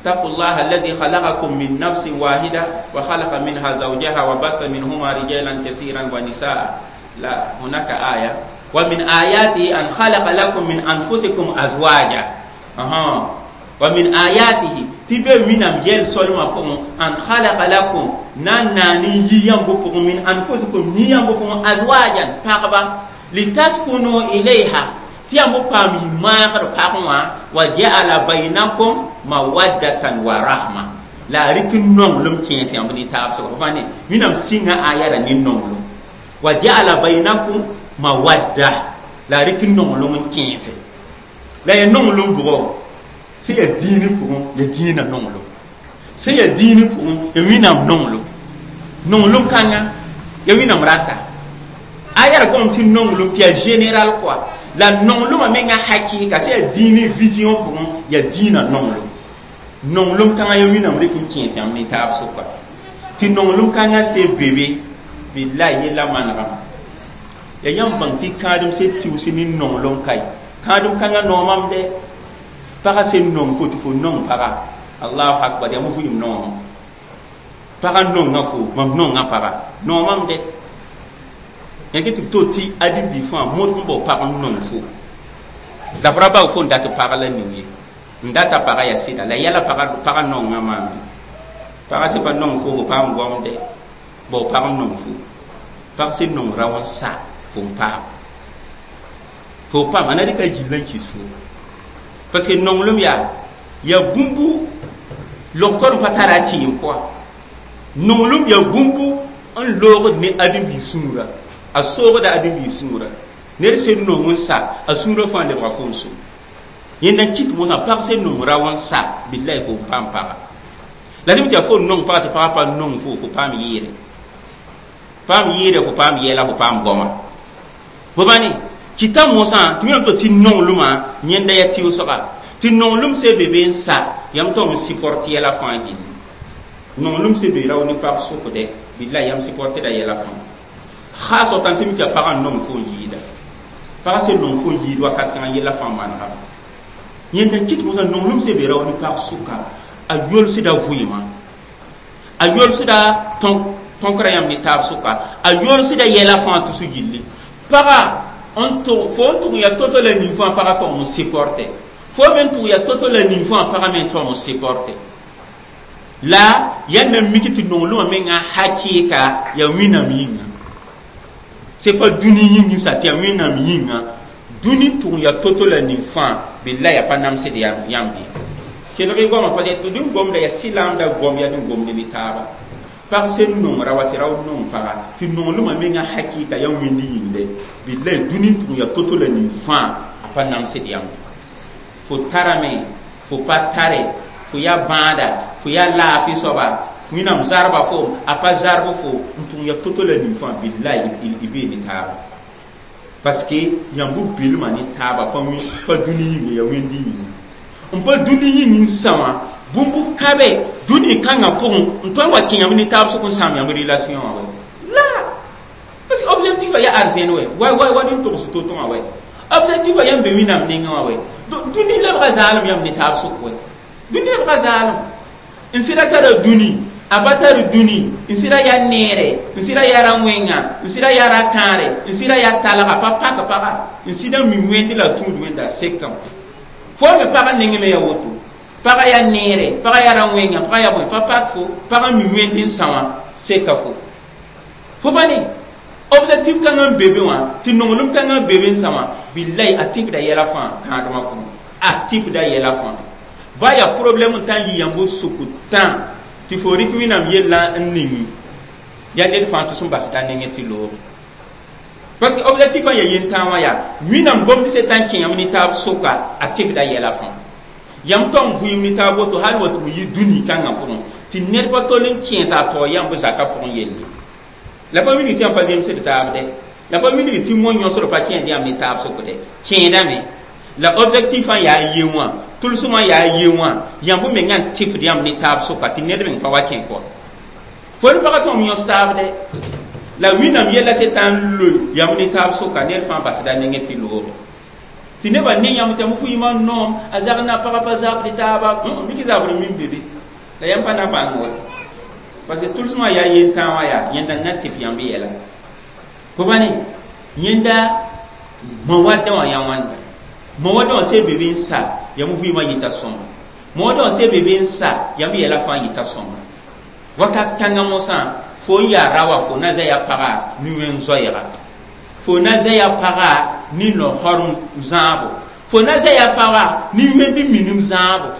B: اتقوا الله الذي خلقكم من نفس واحدة وخلق منها زوجها وبث منهما رجالا كثيرا ونساء. لا، هناك آية ومن آياته أن خلق لكم من أنفسكم أزواجا. ومن آياته تبه من أمجيل سلمة أن خلق لكم ناناني ينبقكم من أنفسكم ينبقكم أزواجا فاقبا لتسكنوا إليها تيامو بامي ماغر فاقوا وجعل بينكم مودة ورحمة. لا ركن نونغلوم كينسي أمني تابسو فاني من أم سينا آيات نونغلوم وجعل بينكم مودة لا ركن نونغلوم كينسي لا ينونغلوم بغو sẽn yaa dĩinã pʋgẽ ya dĩinã nonglem sẽn yaa dĩinã pʋgẽ ya wẽnnaam nonglem nonglem kãnga ya wẽnnaam rata a yaa gom tɩ nonglem tɩ yaa général quoi la nonglmã menga hakɩɩka sẽn yaa dĩinã vision pʋgẽ ya dĩinã nonglem nonglem kãngã ya wẽnnaam rɩk n kẽes yãmb ne taab sʋka tɩ nonglem kãngã se bebe billahi yella manegame ya yãmb bãng tɩ kãadem se tɩʋs ne nonglem kae kãadem kãngã noomam dɛ paga sen nong fo tɩ fo nong paga allahu akbar yaa mo vɩɩm noomã paga nonga fo mam nonga paga noomam dɛ yãke tɩ b to tɩ ãdem-bi fãa modg n bao pag n nong fo dabra bao fo n dat pag la ning ye n data paga yaa sɩda la yɛla paga nonga maam paga sẽn pa nong fo fo paam goam dɛ bao pag n nong fo pag sẽn nong rao n sa fo n paam fo paam a na rɩka gill n kis fo parce que nonglem yaa ya bũmbu logtor n pa tara a tɩɩm quoi nonglem ya bũmbu n loogd ne ãdem-biig sũurã a soogda ãdem-biig sũurã ned sẽn nong n sa a sũurã fãa lebga fo n so yẽnda n kɩt mosã pag sẽn nong rao n sa billahi fo n paam paga la dẽm tɩ yaa fo n nong paga tɩ pagã pa nong fo fo paam yɩɩre fo paam yɛla fo paam goama fo pa ne kɩta mosã tɩ wẽnnaam to tɩ nonglmã yẽnda yaa tɩʋsga tɩ nonglem se be be n sa yãmb tõm n sɩport yɛla fãa gilli nonglem se be rao ne pag sʋkdɛ billahi yãmb sɩportda yɛla fãa khaas tãn sẽn mi tɩ yaa pagã n nong fo n yɩɩda pagã sẽn nong fo n yɩɩd wakat kãngã yɛla fãa manegame yẽnda n kɩt mosã nonglem se be rao ne pag sʋka a yolsda vɩɩmã a yolsda tõkra yãmb ne taab sʋka a yolsda yɛla fãa tʋs gilli paga n tʋg fo n tʋg ya to-to la ning fãa pagã tõg n sɩporte fo me n tʋg ya to-to la ning fãa pagã me tõg n sɩporte la yãnd na mik tɩ nonglmã menga hakɩɩka yaa wẽnnaam yĩnga c'est pas dũni yĩng sa tɩ yaa wẽnnaam yĩnga dũni tʋg ya to-to la ning fãa billahi yaa pa namsd yãmb ye kelg goamã pa tɩ dũni gomda yaa sɩlaamda gom yaa dũni gomd ne taaba pag sẽn nong ra wa tɩ rao nong paga tɩ nonglmã menga hakɩɩka yaa wẽnd yĩngde billahi dũni tʋg ya to-to la ning fãa a pa namsd yãmb fo tarame fo pa tare fo yaa bãada fo yaa laafɩ soaba wẽnnaam zarba fo a pa zarb fo n tʋg ya to-to la ning fãa billahi y bee ne taaba parce que yãmb belmã ne taaba pa dũni yĩnga yaa wẽnd yĩnga n pa dũni yĩng n sã wã bũmb kabe dũni kãngã pʋgẽ n tõe n wa kẽ yãmb ne taab sʋk n sãam yãmb relation wã wɛ la parce que objectif a yaa arzẽn wɛ wa nin togs to-to wã wɛ objectif a yãmb be wẽnnaam nengã wã wɛ dũni lebga zaalem yãmb ne taab sʋk wɛ dũni lebga zaalem n sɩda tara dũni a pa tar dũni n sɩda yaa neere n sɩda yaa ra wẽnga n sɩda yaa ra kãare n sɩda yaa talga pa pak paga n sɩda mi wẽnd la tũud wẽnda sekame fo me pagã nengẽ me yaa woto Paga yaa neere, paga yaa ra-wẽnga, paga yaa bõe pa pak fo, pag n mi wẽnd n sã wã seka fo. Fo pa ne objectif kãngã n be be wã, tɩ nonglem kãngã n be be n sã wã, bilay a tɩpda yɛla fãa kãadmã pʋgẽ, a tɩpda yɛla fãa. Ba yaa problème n tã n yɩ yãmb sʋk tã tɩ fo rɩk Wẽnnaam yellã n ning yaa ned fãa tɩ sẽn basda nengẽ tɩ looge. Parce que objectif ã yaa yentã wã yaa Wẽnnaam gomd se tã n kẽ yãmb ne taab sʋka, a tɩpda yɛla fãa. Yãmb tong vɩɩm ne taab woto hal wa tɩ b yɩ dũni kãngã pʋgẽ tɩ ned pa tol n kẽesa a taoor yãmb zakã pʋgẽ yelle. La pa wilg tɩ yãmb pa zemsd taab dɛ, la pa wilg tɩ mo yõsd pa kẽed yãmb ne taab sʋk dɛ, kẽedame. La objectif ã yaa ye wã, tʋlsmã yaa ye wã, yãmb mengã n tɩpd yãmb ne taab sʋka tɩ ned meng pa wa kẽ kɔ. Fo ne pagã tõm yõs taab dɛ. La Wẽnnaam yɛla se tã n loe yãmb ne taab sʋka, ned fãa basda nengẽ tɩ looge. Tɩ nebã ne yãmb tɩ yãmb vɩɩmã noom, a zag na pagã pa zabd taaba, mik zabr min be be. La yãmb pa na bãng wa. Parce que tʋlsmã yaa yentã wã yaa yẽnda n na tɩp yãmb yɛla. Fo pa ne yẽnda mawadda wã yaa wãnda. Mawadda wã se be be n sa yãmb vɩɩmã yɩta sõma. Mawadda wã se be be n sa yãmb yɛla fãa yɩta sõma. Wakat kãngã mosã fo n yaa ra wã fo na zã ya paga ne wẽn zoɛɛga. Fo na zã ya paga ne no-horem zãabo. Fo na zã ya paga ne wẽnd minim zãabo.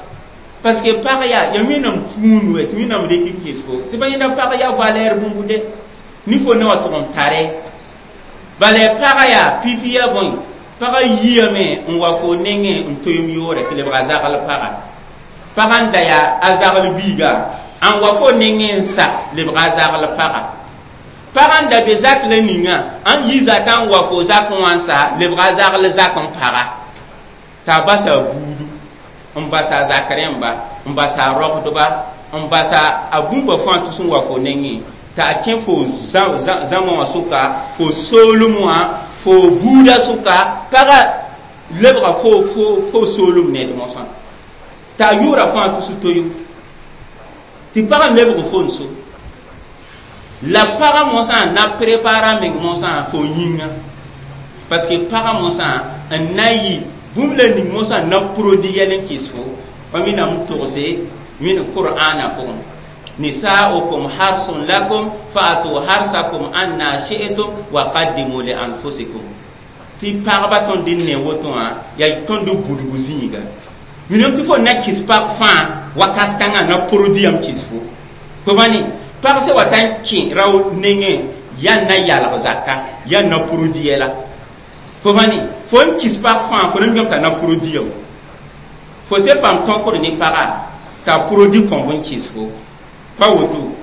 B: Parce que pag yaa ya Wẽnnaam kũun wɛ tɩ Wẽnnaam rek n ges fo. Sẽn pa yẽnda pag yaa valɛɛr bũmb de. Ne fo ne wã tʋg n tare. Bala pag yaa pipi yaa bõe. Pagã yiame n wa fo nengẽ n toeem yoore tɩ lebga zagl paga. Pagã n da yaa a zagl biiga n wa fo nengẽ n sa lebga zagl paga. Pagã n da be zak la ninga n yi zakã n wa fo zakẽ wã n sa lebga zagl zak n paga. T'a basa buudu n basa a zak rẽmba, n basa a rogdba, n basa a bũmba fãa tɩ sẽn wa fo nengẽ t'a a kẽ fo zãma wã sʋka, fo soolem wã, fo buuda sʋka, pagã lebga fo soolem ned mosã. T'a yʋʋra fãa tʋs toyo. Tɩ pagã lebg fo n so. La pagã mosã na prépara meng mosã fo yĩnga. Parce que pagã mosã n na yɩ bũmb la ning mosã na produit yɛl n kɩs fo. Pa Wẽnnaam togse Wẽnd Qur'ana pʋgẽ. Nisa'ukum harsun lakum fa'atu harsakum anna shi'tum wa qaddimu li anfusikum. Tɩ pagba tõnd n ne woto wã yaa tõnd budgu zĩiga. Minam tɩ fo na kɩs pag fãa wakat kãngã na produit yam kɩs fo. Fo pa ne pag sẽn wa t'a n kẽ rao nengẽ yaa na yalg zaka, yaa na produit yɛla. Fo pa ne fo n kɩs pag fãa fo na mikame t'a na produit yam. Fo se paam tõkd ne paga t'a produit kõb n kɩs fo. Pa woto.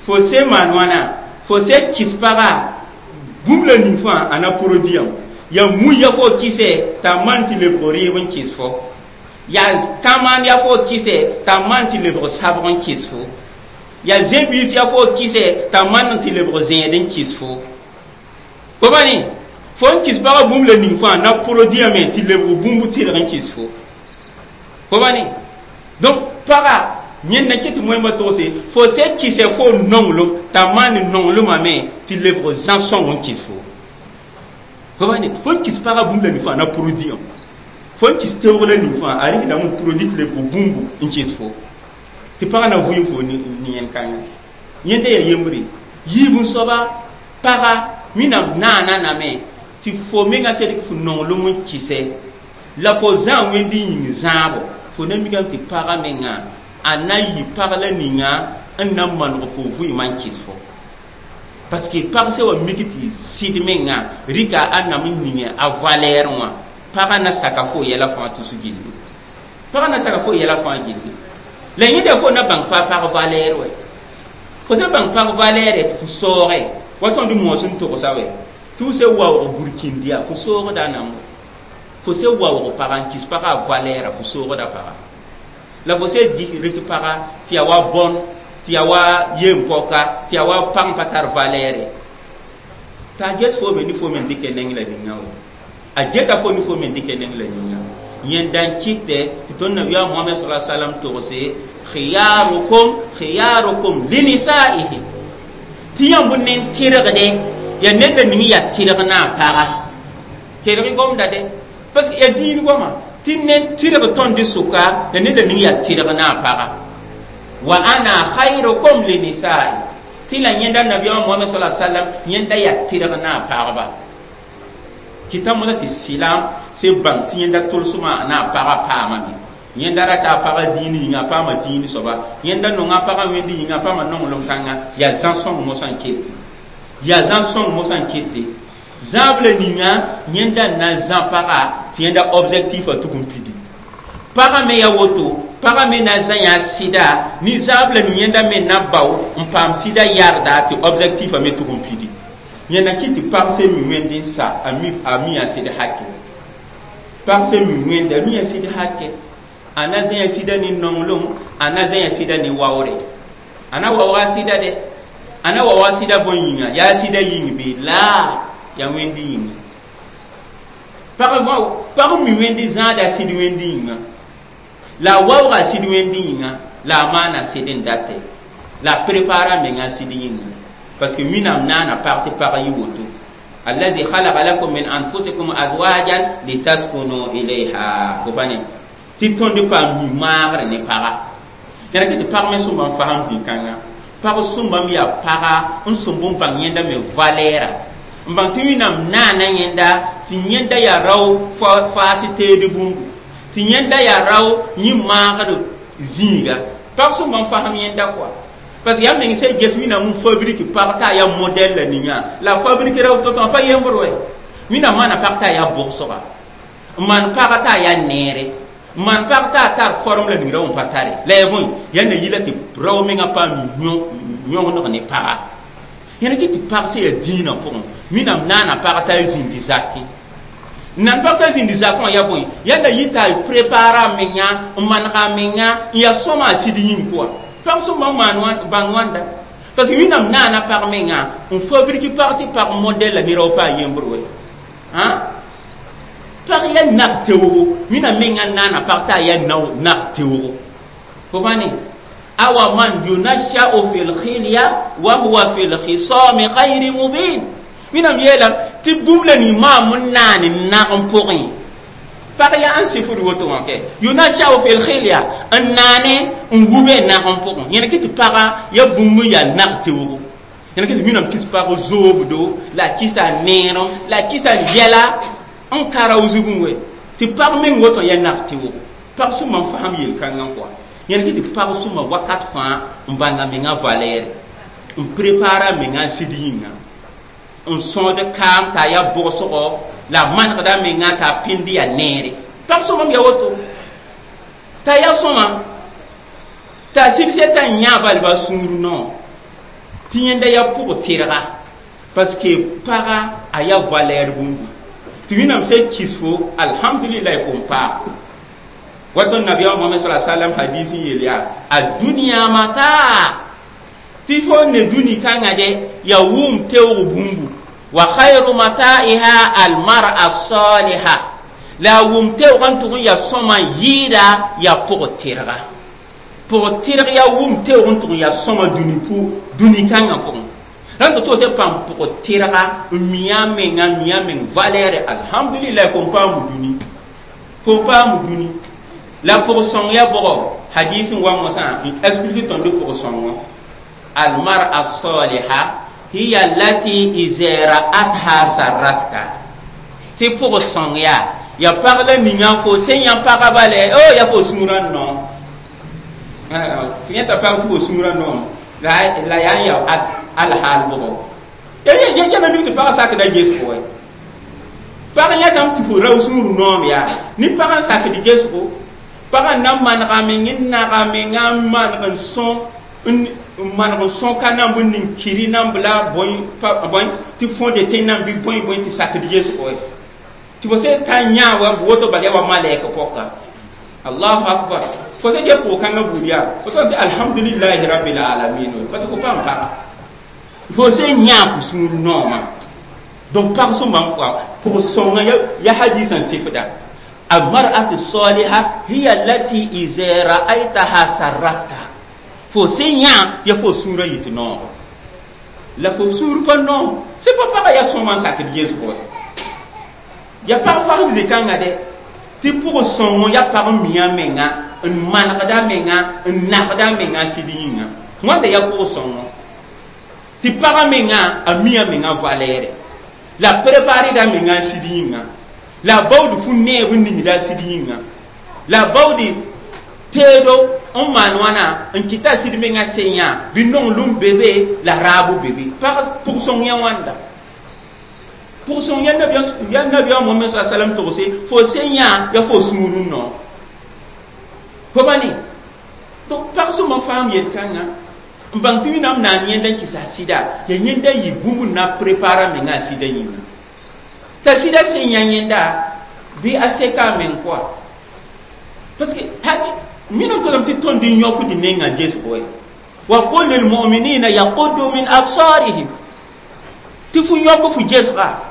B: Fo se maan wãna, fo se kɩs paga bũmb la ning fãa a na produit yam. Ya mu ya fo kɩsɛ t'a maan tɩ lebg rɩɩb n kɩs fo. Ya kãmaan ya fo kɩsɛ t'a maan tɩ lebg sabg n kɩs fo. Ya zẽ-biis ya fo kɩsɛ t'a maan tɩ lebg zẽed n kɩs fo. Fo pa ne fo n kɩs pagã bũmb la ning fãa na produit yame tɩ lebg bũmb tɩrg n kɩs fo. Fo pa ne donc paga yẽnd na ket tɩ moẽmbã togse fo se kɩsɛ fo nonglem t'a maan nonglmame tɩ lebg zã-sõng n kɩs fo. Fo pa ne fo n kɩs pagã bũmb la ning fãa na produit yam. Fo n kɩs teoog la ning fãa a rɩkdame n produit tɩ lebg bũmbu n kɩs fo. Tɩ pagã na vʋɩ fo ne yẽnd kãngã. Yẽnda yaa yembre. Yiib n soaba paga Wẽnnaam naana name tɩ fo mengã sed fo nonglem n kɩsɛ la fo zã wẽnd yĩng zãabo fo na mikame tɩ pagã mengã a na yɩ pag la ninga n na maneg fo vɩɩmã n kɩs fo. Parce que pag sẽn wa mik tɩ sɩd mengã rɩka a nam n ning a valeur wã, pagã na saka fo yɛla fãa tus gilli. Pagã na saka fo yɛla fãa gilli. La yẽnda fo na bãng pa pag valeur wɛ. Fo sẽn bãng pag valeur tɩ fo saooge wa tõnd moos n togsa wɛ tɩ f se waoog burkĩnd yaa fo soogda nam wɛ. Fo se waoog paga n kɩs pagã a valeur fo soogda paga. La fo se rɩk paga tɩ yaa wa bõn, tɩ yaa wa yem-pɔka, tɩ yaa wa pag n pa tar valeur. T'a ges fo me ne fo me n dɩkɛ neng la ninga wɛ. A geta fo ne fo me n dɩkɛ neng la ninga. Yẽnda n kɩtɛ tɩ tõnd nabiyaam Mohamɛd sala salam togse khiyarukum khiyarukum linisaihi. Tɩ yãmb nen tɩrgde yaa ned la ning yaa tɩrg na a paga. Kelg gomda de parce que yaa diin goma. Tɩ ned tɩrg tõnd sʋka la neda ning yaa tɩrg na a paga. Wa ana khayrukum li nisa'i, tɩ la yẽnda nabiyaamã Mohamɛd sala sallam yẽnda yaa tɩrg na a pagba. Kɩta mosa tɩ sɩlam se bãng tɩ yẽnda tʋlsmã na a pagã paamame. Yẽnda rata a pagã dĩin yĩnga, a paama dĩin soaba. Yẽnda nonga a pagã wẽnd yĩnga, a paama nonglem kãnga. Yaa zã-sõng mosã n kete, yaa zã-sõng mosã n kete. Zãab la ninga yẽnda n na n zã paga tɩ yẽnda objectif a tʋg n pidi. Pagã me yaa woto, pagã me na n zã yã sɩda ne zãab la ning yẽnda me na bao n paam sɩda yarda tɩ objectif a me tʋg n pidi. Yẽnda kɩ tɩ pag sẽn mi wẽnd n sa, a mi a sɩd hake. Pag sẽn mi wẽnd, a mi a sɩd hake. A na zã ya sɩda ne nonglem, a na zã ya sɩda ne waoore. A na waooga sɩda dɛ, a na waooga sɩda bõe yĩnga? Yaa sɩda yĩng bɩ la yaa wẽnd yĩnga. Pag mi wẽnd zãada sɩd wẽnd yĩnga, la a waooga sɩd wẽnd yĩnga, la a maana sɩd n date, la a prépara menga sɩd yĩnga, parce que Wẽnnaam naana pag tɩ pag yɩ woto. Allazi khalaqa lakum min anfusikum azwajan litaskunu ilayha. Fo pa ne tɩ tõnd paam mi maagre ne paga. Yãra kɩ tɩ pag me sõmba n fasem zĩ-kãngã. Pag sõmbame yaa paga n sõmb n bãng yẽnda me valɛɛra, n bãng tɩ Wẽnnaam naana yẽnda, tɩ yẽnda yaa rao faas teed bũmbu, tɩ yẽnda yaa rao yẽ maagd zĩiga. Pag sõmba n fasem yẽnda kɔa, parce que yaa meng sã ges Wẽnnaam n fabrique pag t'a yaa modɛl la ninga, la fabrique rao to-to pa yembr wɛ. Wẽnnaam maana pag t'a yaa bʋgsga, n maan paga t'a yaa neere, n maan pag t'a tar forme la ning rao n pa tare la yaa bõe yaa na yila tɩ rao mengã paam yõgeneg ne paga. Yẽna kɩ tɩ pag sẽn yaa dĩinã pʋgẽ, Wẽnnaam naana pag t'a zĩndi zakẽ. Nan pag t'a zĩndi zakẽ wã yaa bõe? Yaa na yɩ t'a prépara a menga, n manega a menga, n yaa sõma a sɩd yĩng pʋga. Pag sõma n maan bãng wãnda, parce que Wẽnnaam naana pag menga n fabrique pag tɩ pag modɛl la ne rao pa a yembr wɛ. Pag yaa nag teoogo, Wẽnnaam menga naana pag t'a yaa nag teoogo. Fo pa ne awa man yunasha'u fil khilya wa huwa fil khisami ghayri mubin. Wẽnnaam yeelame tɩ bũmb la ning maam n naan n nag n pʋgẽ. Pag yaa n sɩfd woto wã kɛ yunasha'u fil khilya n naane n wube nag n pʋgẽ. Yẽna kɩ tɩ paga yaa bũmb n yaa nag teoogo. Yẽna kɩ tɩ Wẽnnaam kɩs pag zoobdo, la a kɩsa neerem, la a kɩsa yɛla n ka rao zugẽ wɛ, tɩ pag meng woto yaa nag teoogo. Pag sõma n fasem yel-kãngã kɔa. Yẽna kɩ tɩ pag sõma wakat fãa n bãnga menga valɛɛre, n prépara menga sɩd yĩnga, n sõsd kaam t'a yaa bʋgsgo, la a manegda menga t'a pĩnd yaa neere. Pag sõma m yaa woto t'a yaa sõma t'a sɩbsɛ t'a yã balba sũur no tɩ yẽnda yaa pʋg tɩrga, parce que paga a yaa valɛɛr bũmbu tɩ Wẽnnaam sẽn kis fo, alhamdulillah, fo n paam. Wato nabiya Muhammad sallallahu alaihi wasallam hadisi yel yaa a duniya mata tɩ fo ne dũni kãngã de yaa wʋm teoog bũmbu, wa khayru mata'iha almar'a saliha, la a wʋm teoog n tʋg n yaa sõma n yɩɩda yaa pʋg tɩrga. Pʋg tɩrg yaa wʋm teoog n tʋg n yaa sõma dũni pʋ dũni kãngã pʋgẽ. Rãnd tɩ toose paam pʋg tɩrga n mi a menga, mi a meng valɛɛre, alhamdulillah, fo n paam dũni, fo n paam dũni. La pʋg sõng yaa bʋgɔ hadis n wa mosã n explique tõnd pʋg sõng wã. Almar'a saliha hiya allati iza ra'atha sarratka, tɩ pʋg sõng yaa ya pag la ninga fo sẽn yã paga bale o ya fo sũurã noom. Fo yẽta pag tɩ fo sũurã noom la yaa n ya alhaal bʋgɔ. Ya na mik tɩ pagã sakda gesgo wɛ. Pag yãtame tɩ fo rao sũur noom yaa ne pagã n sakd gesgo. Pagã na manega meng n naga menga n maneg n sõ, n maneg n sõ ka namb n ning kiri namb la bõe tɩ fõde tẽ namb bɩ bõe bõe tɩ sakd gesgo wɛ. Tɩ fo sẽn ta yã wa woto bal yaa wa malɛk pɔka. Allahu akbar. Fo sẽn get pʋg-kãngã buud yaa fo sẽn tɩ alhamdulillahi rabbil alamin, parce que fo paam paga fo sẽn yã fo sũur noomã. Donc pag sõma n kɔa pʋg sõnga ya hadis n sɩfda almar'atu saliha hiya allati iza ra'aytaha sarratka, fo sẽn yã ya fo sũurã yɩ tɩ noogo, la fo sũur pa noom sẽn pa paga yaa sõma n sakd gesgo. Ya pag fasem zĩ-kãngã dɛ. Tɩ pʋg sõngo ya pag n mi a menga n manegda menga n nagda menga sɩd yĩnga wãnda ya pʋg sõngo tɩ pagã menga a mi a menga valɛɛre la prépareda menga n sɩd yĩnga la baood fu neeb n ningda a sɩd yĩnga la baood teedo n maan wãna n kɩta sɩd menga sẽn yã bɩ nonglem be be la raabo be be pag pʋg sõng yã wãnda pʋg sõng ya nabiyaam Mohamɛd sa salam togse fo sẽn yã ya fo sũur n nao fo ba ne donc pag sõma n faam yel-kãngã n bãng tɩ Wẽnnaam naan yẽnda n kɩsa sɩda ya yẽnda yɩ bũmb n na prépara menga a sɩda yĩnga t'a sɩda sẽn yã yẽnda bɩ a seka a meng kɔa parce que haki minam tolame tɩ tõnd n yõkd nengã gesgo ye wa qul lilmuminina yaquddu min absarihim tɩ fu yõk fu gesga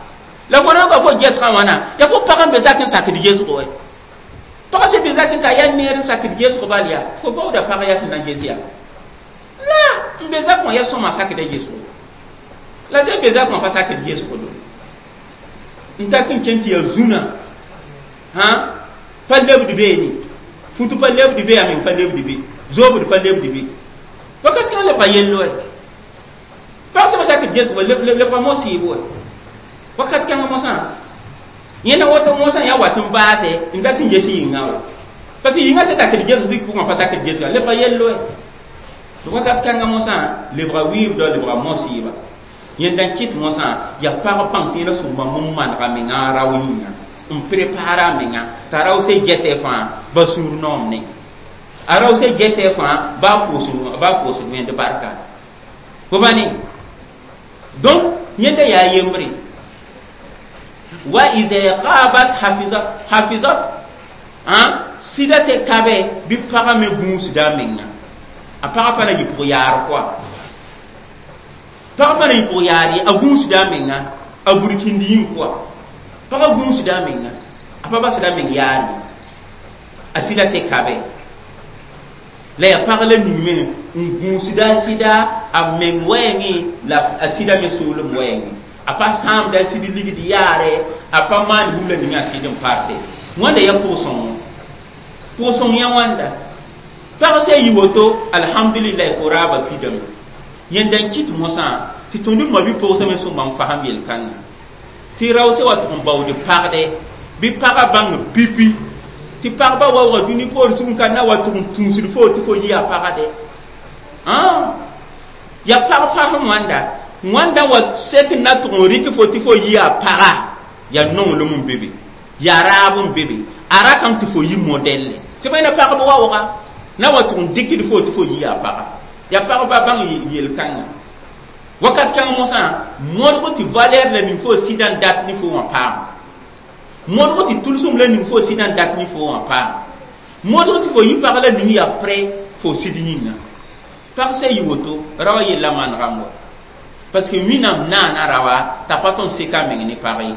B: la fo rõka fo gesgã wãna ya fo pag n be zak n sakd gesgo ye pag sẽn be zak n ka yaa neer n sakd gesgo bal yaa fo baooda pag yaa sẽn na n ges yaa la n be zak wã yaa sõma sakda gesgo la sẽn be zak wã pa sakd gesgo do n tak n kẽn tɩ yaa zũnã hã pa lebd beene futu pa lebd be a meng pa lebd be zoobd pa lebd be wakat kãngã lebga yello pag sẽn pa sakd gesgo lebga mosɩɩb wɛ wakat kãngã mosã yẽnda woto mosã yaa wat n baase n dat n ges yĩngã wa parce que yĩngã sẽn sakd gesg tɩ pʋgã pa sakd gesga lebga yello wakat kãngã mosã lebga wɩɩbdɔ lebga mosɩɩba yẽnda n kɩt mosã yaa pag pãng tɩ yẽna sõmba n manega menga rao yĩnga n prépara a menga t'a rao se gɛtɛ fãa ba sũur noom ne a rao se gɛtɛ fãa ba pʋʋsd wẽnd barka fo ba ne donc yẽnda yaa yembre wa iza qabat hafizat sɩda se kabe bɩ pagã me gũusda a menga a pagã pa na yɩ pʋg yaar koa pagã pa na yɩ pʋg yaar ye a gũusda a menga a burkĩnd yĩng koa pagã gũusda a menga a pa basda a meng yaar ye a sɩda se kabe la yaa pag la ning me n gũusda a sɩda a meng wɛɛngẽ la a sɩda me soolem wɛɛngẽ a pa sãamda a sɩd ligd yaare a pa maan bũmb la ning a sɩd n parte wãnda yaa pʋg-sõngo pʋg-sõng yã wãnda pag sã yi woto alhamdulillah fo raaba pidame yẽnda n kɩt mosã tɩ tõnd d mabi-pogsã me sõmba n fasem yel-kãngã tɩ rao sã wa tʋg n baood pagdɛ bɩ pagã bãng pipi tɩ pagba waooga dũni poor sug n ka na wa tʋg n tũusd fo tɩ fo yɩ a pagdɛ yaa pag fasem wãnda wãnda wa sek n na tʋg n rɩk fo tɩ fo yɩ a paga yaa nonglem n be be yaa raab n be be a ratame tɩ fo yɩ modɛlle sẽn pa yẽna pagb waooga na wa tʋg n dɩkd fo tɩ fo yɩ a paga yaa pagba bãng yel-kãngã wakat kãng mosã modg tɩ valɛr la ning fo sɩda n dat ne fo wã paam modg tɩ tʋlsem la ning fo sɩda n dat ne fo wã paam modg tɩ fo yɩ pag la ning yaa prêt fo sɩd yĩnga pag sã yɩ woto raoã yella manegame wa parce que Wẽnnaam naana raoa t'a pa tõnd seka a meng ne pag ye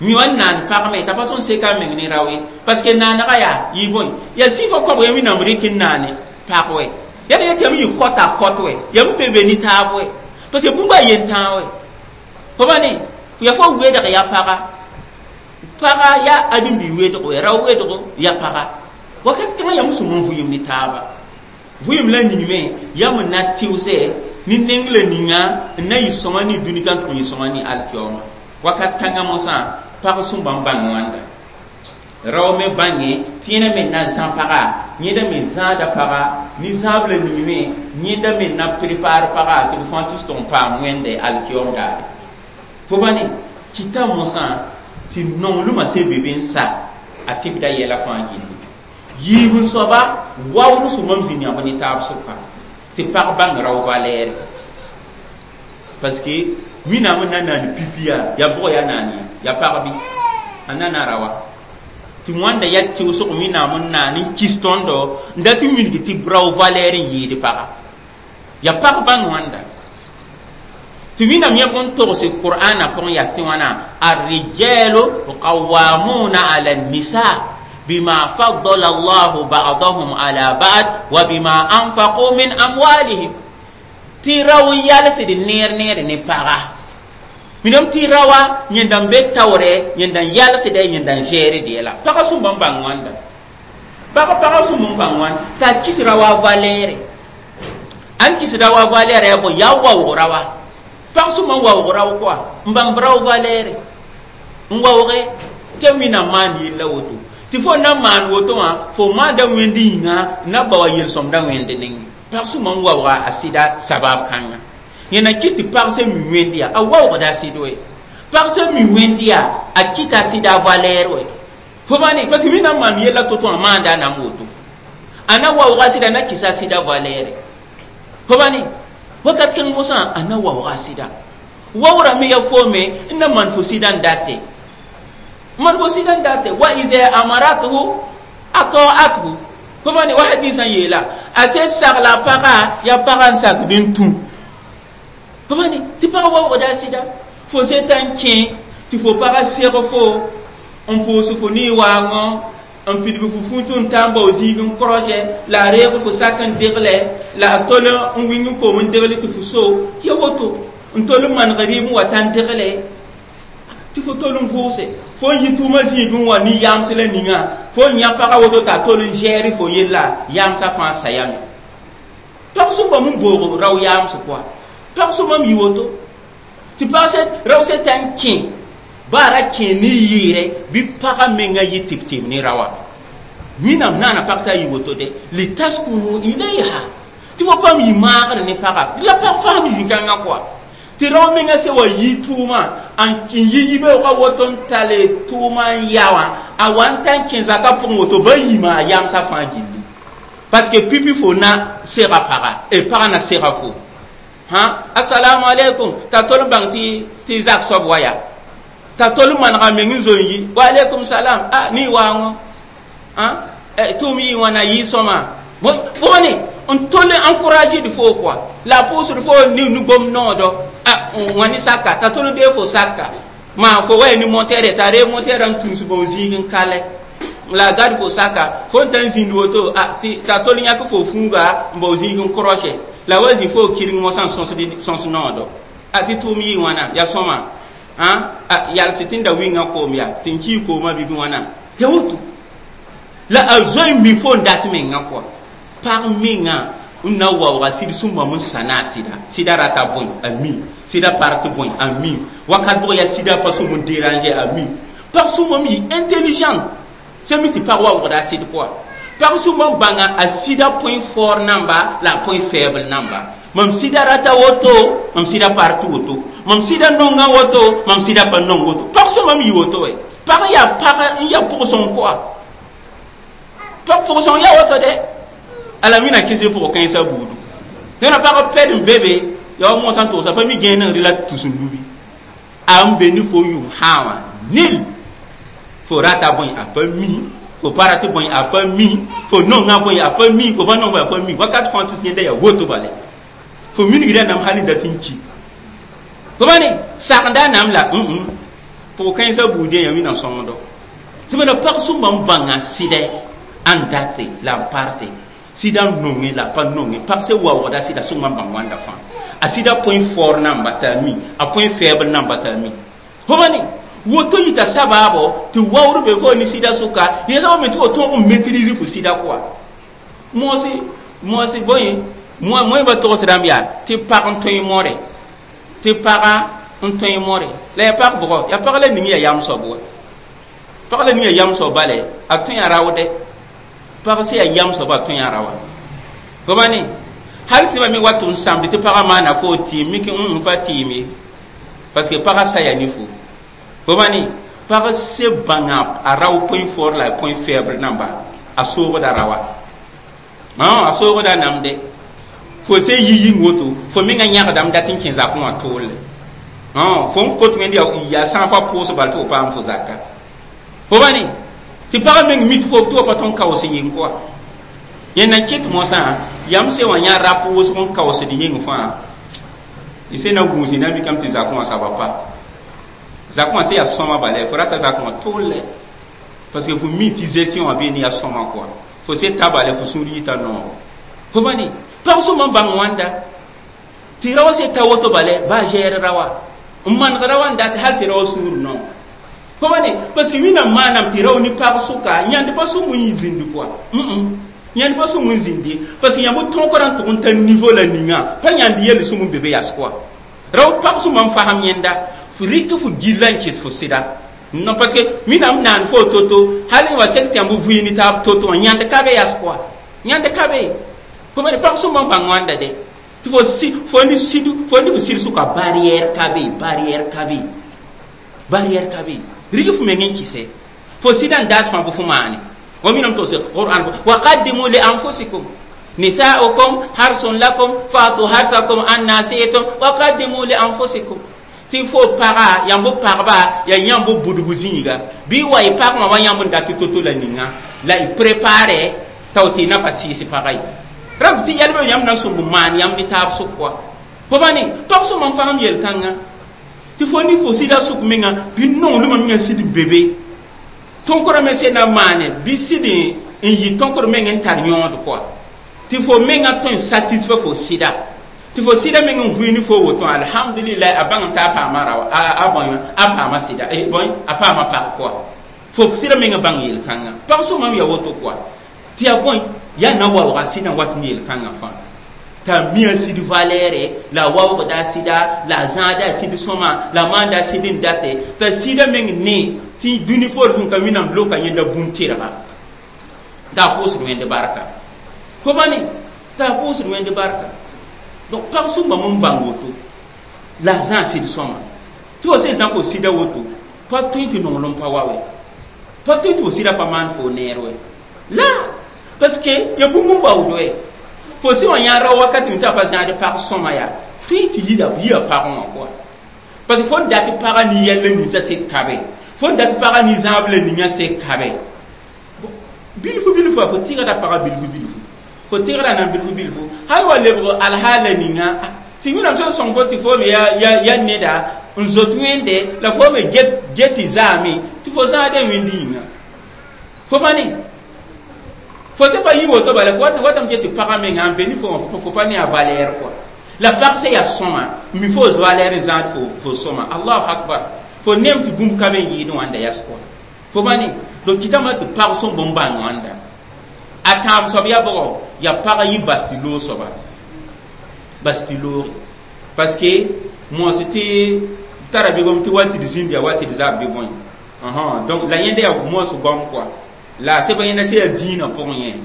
B: mi wa n naan pag me t'a pa tõnd seka a meng ne rao ye parce que naanega yaa yɩ bõe yaa sɩfã kõbg ya Wẽnnaam rɩk n naane pag wɛ yaa yetɩ yam yɩ kɔta kɔt wɛ yam be be ne taab wɛ parce que bũmb a yen-tãag wɛ fo ba ne ya fo wedg ya paga paga ya ãdem-bi wedgo ya rao wedgo ya paga wakat kãngã yam sũm n vʋɩem ne taaba vʋɩem la ningme yam n na tɩʋsɛ ne neng la ninga n na yɩ sõma ne dũni kan tʋg yɩ sõma ne alkiyooma wakat kãngã mosã pag sõmba n bãng wãnda rao me bãnge tɩ yẽna me na zã paga yẽda me zãada paga ne zãab la ningme yẽnda me na prépare paga tɩ b fãa tus tʋg n paam wẽnde alkiyoom daare fo ba ne kɩta mosã tɩ nonglmã se be be n sa a tɩbda yɛla fãa gilli yiib n soaba waoor sũmam zĩnd yãmb ne taab sʋka tɩ pag bãng rao valɛɛre parce que Wẽnnaam n na naan pipi yaa yaa bʋg yaa naan ye yaa pag bɩ a na na rawa tɩ wãnda yaa tɩʋsg Wẽnnaam n naan n kis tõndo n dat n wilg tɩ rao valɛɛr n yɩɩd paga yaa pag bãng wãnda tɩ Wẽnnaam yãb n togse qur'ana pʋgẽ yas tɩ wãna الرجال قوامون على النساء بما فضل الله بعضهم على بعض وبما أنفقوا من أموالهم tɩ rao n yalsd neer neer ne paga Minam tɩ rawa yẽnda n be taoorɛ, yẽnda n yalsdɛ, yẽnda n gɛɛrd yɛla. Pagã sũmba n bãng wãnda. Pagã sũmb n bãng wãn t'a kis rawa valɛɛre. Ãn kis rawa valɛɛrɛ yaa bõe? Yaa waoog rawa. Pag sũmba n waoog rao kɔa n bãng b rao valɛɛre n waooge tɩ Wẽnnaam maan yella woto. Tɩ fo na n maan woto wã, fo maanda Wẽnd yĩnga n na ba wa yel-sõmda Wẽnd nengẽ. Pag sũmba n waooga a sɩda sabab kãnga. Yẽna kɩt tɩ pag sẽn mi Wẽnd yaa, a waoogda a sɩd wɛ. Pag sẽn mi Wẽnd yaa, a kɩta a sɩda valɛɛr wɛ. Fo bãne, parce que Wẽnnaam maan yella to-to wã maanda a nam woto. A na waooga a sɩda, na kɩsa a sɩda valɛɛre. Fo bãne, wakat kãng mosã a na waooga a sɩda. Waoorã me yaa foome n na maan fo sɩda n date. Maan fo sɩda n date. Wa iza amaratuhu ata'athu. Fo bãne, wa hadisã yeela a sẽn sagla pagã yaa pagã n sakd n tũ. Fo bãne, tɩ pag waoogda a sɩda. Fo se t'a n kẽ tɩ fo pagã seg fo n pʋʋs fo ne-waangõ, n pidg fo fũut n ta n bao zĩig n krɔsɛ, la a reeg fo sak n degle, la a tol n wĩng n koom n degle tɩ fo so ya woto, n tol n maneg rɩɩb n wa tã n degle tɩ fo tol n vʋʋse. Fo n yi tʋʋmã zĩig n wa ne yams la ninga, fo n yã pagã woto t'a tol n gɛɛr fo yella, yamsã fãa sayame. Pag sũmbame n boog rao yams pʋga. Pag sũmbame yi woto tɩ pag rao sẽn ta n kẽ baa ra kẽ ne yɩɩrɛ bɩ pagã menga yɩ tɩb-tɩb ne raoã. Wẽnnaam naana pag t'a yi woto de litaskunu ilayha, tɩ fo paam yɩ maagr ne pagã la pag faam zĩ-kãngã kɔa. Tɩ rao menga sẽn wa yi tʋʋmã n yi yibeoogã woto n tale tʋʋmã n ya wã, a wa n ta n kẽ zakã pʋgẽ woto ba yima a yamsã fãa gilli. Parce que pipi fo na sega pagã, pagã na sega fo. Ha, assalamu alaikum, t'a tol n bãng tɩ zak soab wa yaa. T'a tol n manega meng n zo n yi, wa alaikum salam, a ne waangõ. Ha, tʋʋm yɩ wãna yɩ sõma. Bõne n tol n encourager d fo kɔa. La a pʋʋsd fo ne nu-gom noodɔ. A wã ne saka, t'a tol n dee fo saka. Maa fo wa ya ne montere, t'a ree montere n tũus bão zĩig n kalɛ. La a gad fo saka, fo n ta n zĩnd woto, a t'a tol n yãk fo fũuga n bao zĩig n krɔsɛ. La wa zĩ fo kɩreng mosã n sõs noodɔ. A tɩ tʋʋm yɩ wãna, yaa sõma. Ha, a yals tɩ n da wĩngã koom yaa, tɩ n kii koomã bɩ wãna. Ya woto. La a zoe n mi fo n dat mengã kɔa. Pag menga n na waooga sɩd sũmbame n sãna a sɩda. Sɩda rata bõe a mi, sɩda part bõe a mi, wakat bʋg yaa sɩda pa sũmb n déranger a mi. Pag sũmbame yɩ intelligent sẽn mi tɩ pag waoogda a sɩd pʋga. Pag sũmba n bãnga a sɩda point fort namba la a point faible namba. Mam sɩda rata woto, mam sɩda part woto, mam sɩda nonga woto, mam sɩda pa nong woto. Pag sũmbame yɩ woto wɛ. Pag yaa pag n yaa pʋg-sõng kɔa. Pag pʋg-sõng yaa woto dɛ. Ala wẽnnaam kẽse pʋgã kãensã buudu. Tẽna pag pɛd n be be, yaa wa mosã n togsa pa mi gẽen n rɩ la tus n lubi. A n be ne fo yʋng sã wã nil. Fo rata bõe a pa mi, fo pa rat bõe a pa mi, fo nonga bõe a pa mi, fo pa nong bõe a pa mi. Wakat fãa tus yẽnda yaa woto bale. Fo minigda nam hal n dat n ki. Fo bãne sakda nam la pʋg kãensã buudẽ yaa Wẽnnaam sõngdo. Tɩ bala pag sũmba n bãnga sɩdɛ ãn date la n parte. Sɩda n nonge la pa nonge. Pag sẽn waoogda sɩda sũmba n bãng wãnda fãa. A sɩda point fort namba t'a mi, a point faible namba t'a mi. Fo bãne woto yita sabaabo tɩ waoor be fo ne sɩda sʋka, yẽsã me tɩ fo tõog n maîtrise fo sɩda kɔa. Moosɩ, moosɩ bõe, moẽ ba togs rãmb yaa tɩ pag n tõe more. Tɩ pagã n tõe more. La yaa pag bʋgɔ, yaa pag la ning yaa yam soab wa. Pag la ning yaa yam soab bale, a tõe a raoodɛ. Pag sẽn yaa yam soab a tõe a raoa. Fo bãne, hal tɩ ba me wat n sãmd tɩ pagã maana fo tɩɩm, mik n pa tɩɩm ye. Parce que pagã saya ne fo. Fo bãne, pag se bãnga a rao point fort la point faible namba, a soogda raoa. A soogda namde. Fo se yi yĩng woto, fo menga yãgdame dat n kẽ zakẽ wã toolle. Fo n kot wẽnd yaa sã n fa pʋʋs bal tɩ fo paam fo zaka. Fo bãne, tɩ pagã meng mi tɩ fo tɩ pa tõn kaoos yĩng kɔa. Yẽ na kɩt mosã, yam se wã yã rap wʋsg n kaoosd yĩng fãa. Y se na gũus na mikame tɩ zakẽ wã saba pa. Zakẽ wã sẽn yaa sõma bala, fo rata zakẽ wã toolle. Parce que fo mi tɩ gestion wã bee ne yaa sõma kɔa. Fo se ta bala, fo sũur yita nooro. Fo bãne, pag sũmba n bãng wãnda. Tɩ raoã se ta woto bala, baa gɛɛr raoã. N manegda wa n dat hal tɩ rao sũur no. Fo wa ne parce que wẽnnaam maanam tɩ rao ne pag sʋka yãnd pa sũm n zĩndi pʋa. Yãnd pa sũm n zĩndi parce que yãmb tõogrã n tʋg n tar niveau la ninga pa yãnd yel sũm n be be yas kɔa. Rao pag sũma n fasem yẽnda f rɩk fo gilla n kɩs fo sɩda. Non, parce que wẽnnaam naan fo toto hal n wa sek tɩ yãmb vɩɩ ne taab toto wã yãnd ka be yas kɔa. Yãnd ka be. Fo me pag sũma n bãng wãnda de. Tɩ fo si fo ne sid fo ne fo sɩd sʋka barrière ka be, barrière ka be. Barrière ka be. Rɩk fo meng n kɩse. Fo sɩda n dat fãa bɩ fo maane. Wa minam to Qur'an wa qaddimu li anfusikum nisa'ukum harsun lakum fa'tu harsakum anna shi'tum wa qaddimu li anfusikum. Tɩ fo paga yãmb pagba ya yãmb budbu zĩiga bɩ wa y pagmã wa yãmb n dat tɩ toto la ninga la y prépare tao tɩ y na pa sɩɩs pagã ye. Rab tɩ yɛlbã yãmb na n sõmb maan yãmb ne taab sʋk wa. Fo ba ne pag sõma n fasem yel-kãngã tɩ fo ne fo sɩda sʋk menga bɩ nonglmã menga sɩd n be be. Tõnkr me sẽn na maane bɩ sɩd n yɩ tõnkr meng n tar yõod kɔa. Tɩ fo menga tõe n satisfait fo sɩda. Tɩ fo sɩda meng n vʋɩ ne fo woto alhamdulillah a bãng t'a paama rawa a bõe a paama sɩda bõe a paama pag kɔa. Fo sɩda menga bãng yel-kãngã. Pag sõma m ya woto kɔa. Tɩ yaa bõe yaa na waooga sɩdã wat ne yel-kãngã fãa. T'a mi a sɩd valɛɛre la a waoogda a sɩda la a zãada a sɩd sõma la a maanda a sɩd n date t'a sɩda meng ne tɩ dũni poor sẽn ka wẽnnaam loka yẽnda bũmb tɩrga t'a pʋʋsd wẽnd barka. Fo ba ne t'a pʋʋsd wẽnd barka. Donc pag sũmbame n bãng woto la a zãa sɩd sõma. Tɩ fo sẽn zã fo sɩda woto pa tõe tɩ nonglem pa wa wɛ. Pa tõe tɩ fo sɩda pa maan fo neer wɛ. La parce que ya bũmb n baood wɛ. Fo sẽn wa yã rao wakat tɩ a pa zãad pag sõma yaa tõe tɩ yia pagẽ wã kɔa. Parce que fo n dat pagã ne yɛl la ninsã sek kabe. Fo n dat pagã ne zãab la ninga sek kabe. Bilfu bilfu fo tɩgda pagã bilfu bilfu. Fo tɩgda nan bilfu bilfu. Hal wa lebg alhaal la ninga tɩ wẽnnaam sẽn sõng fo tɩ fo me ya neda n zot wẽnde la fo me get tɩ zaame tɩ fo zãadã wẽnd yĩnga. Fo pa ne fo sẽn pa yi woto bala fo watame get tɩ pagã menga n be ne fo fo pa ne a valɛɛr kɔa. La pag sẽn yaa sõma mi fo valɛɛr n zãad fo sõma. Allahu akbar. Fo nem tɩ bũmb ka be n yɩɩd wãnda yas kɔa. Fo pa ne donc kɩtame tɩ pag sõmb n bãng wãnda. A tãab soab yaa bʋgɔ yaa pagã yɩ bas tɩ loog soaba. Bas tɩ looge. Parce que mos tɩ tara bɩ gom tɩ wa tɩ d zĩnd yaa wa tɩ d zab bɩ bõe. Donc la yẽnda yaa mos gom kɔa. La sẽn pa yẽnda sẽn yaa dĩinã pʋgẽ yẽ.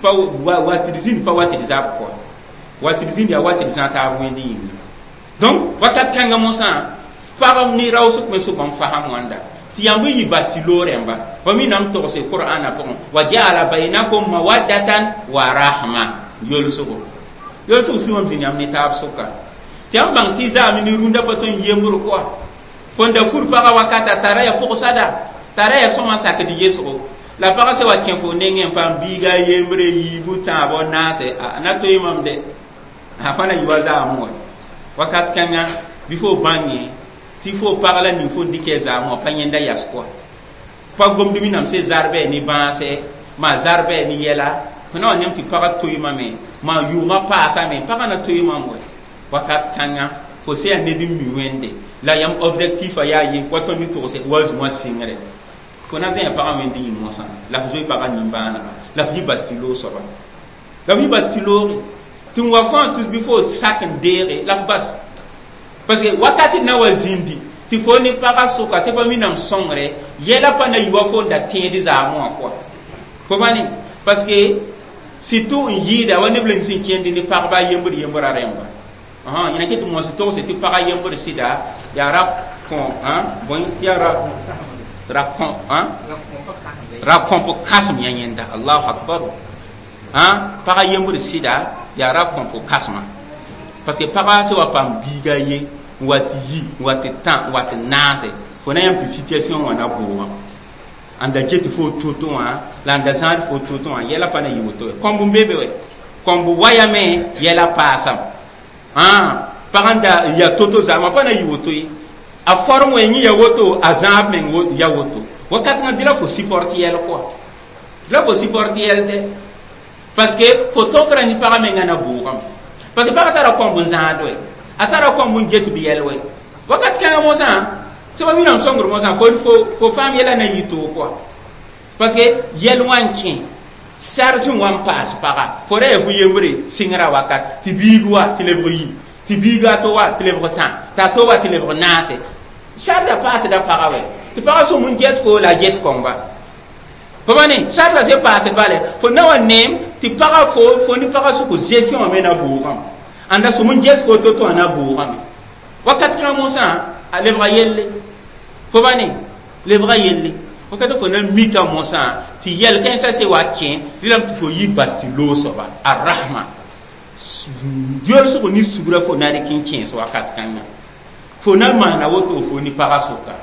B: Pa wa tɩ d zĩnd pa wa tɩ d zab kɔa. Wa tɩ d zĩnd yaa wa tɩ d zã taab wẽnd yĩnga. Donc wakat kãngã mosã pagb ne raoosg me sʋk n fasem wãnda. Tɩ yãmb n yɩ bas tɩ loog rẽmba. Wa wẽnnaam togse Qur'ana pʋgẽ wa ja'ala bainakum mawaddatan wa rahma yolsgo. Yolsg sũmam zĩnd yãmb ne taab sʋka. Tɩ yãmb bãng tɩ zaame ne rũndã pa tõe n yembr kɔa. Fo n da fur pagã wakata tara ya pʋgsada tara ya sõma n sakd yesgo. La pagã sẽn wa kẽ fo nengẽ n paam biiga a yembre yiibu tãabo naase a na tõe mam de. A fã na yɩ wa zaam wa. Wakat kãngã bɩ fo bãnge tɩ fo pag la ning fo n dɩk zaam wã pa yẽnda yas kɔa. Pa gomd wẽnnaam sẽn zarbɛ ne bãase maa zarbɛ ne yɛla fo na wa yãmb tɩ pagã toɩ mame maa yʋʋmã paasame pagã na toɩ mam wɛ. Wakat kãngã fo sẽn yaa ned n mi wẽnde la yãmb objectif a yaa ye wa tõnd ne togse wa zũwã sɩngre. Fo na zẽa pagã wẽnd yĩng mosã la f zoe pagã nimbãanega la f yɩ bas tɩ loog soaba. La f yɩ bas tɩ looge. Tɩ n wa fãa tus bɩ fo sak n deege la f bas. Parce que wakat na wa zĩndi tɩ fo ne pagã sʋka sẽn pa wẽnnaam sõngre yɛla pa na yɩ wa fo n da tẽed zaamẽ wã kɔa. Fo pa ne parce que surtout n yɩɩda wa neb la sẽn kẽnd ne pagba a yembr yembrã rẽmba. Yẽna ket mos togse tɩ pagã yembr sɩda yaa ra kõ bõe tɩ yaa ra kõ ra kõp kãsem yã yẽnda. Allahu akbar. Pagã yembr sɩda yaa ra kõp kãsema. Parce que pagã sẽn wa paam biiga ye n wa tɩ yi n wa tɩ tã n wa tɩ naase fo na yãmb tɩ situation wã na boogã. N da get fo toto wã la n da zãad fo toto wã yɛla pa na yɩ woto wɛ. Kõmb n be be wɛ. Kõmb wayame yɛla paasam. Pag n da ya toto zaamã pa na yɩ woto ye. A forme wɛ yẽ ya woto a zãab meng ya woto. Wakat kãngã bɩ la fo support yɛl kɔa. Bɩ la fo support yɛl dɛ. Parce que fo tõkra ne pagã mengã na boogame. Parce que pagã tara kõmb n zãad wɛ. A tara kõmb n get bɩ yɛl wɛ. Wakat kãngã mosã sẽba wĩnnaam sõngr mosã fo faam yɛla na yɩ toog kɔa parce que yɛl wã n kẽ charge wã n paas paga fo ra yaa fu yembre sɩngrã wakat tɩ biig wa tɩ lebg yi tɩ biiga a to wa tɩ lebg tã t'a to wa tɩ lebg naase charge a paasda paga wɛ tɩ pagã sõm n get fo la a ges kõmba fo ba ne charge a se paasd bale fo na wa neem tɩ paga fo ne pagã sʋk gestion wã me na bʋʋgame ãnda sõm n get fo to-to wã na bʋʋgame wakat kãngã mosã a lebga yelle fo ba ne lebga yelle wakat fo na mika mosã tɩ yɛl kãensã se wa kẽ rɩlame tɩ fo yi bas tɩ loog soaba arrahma yolsg ne sugra fo na rɩk n kẽes wakat kãngã fo na maana woto fo ne pagã sʋka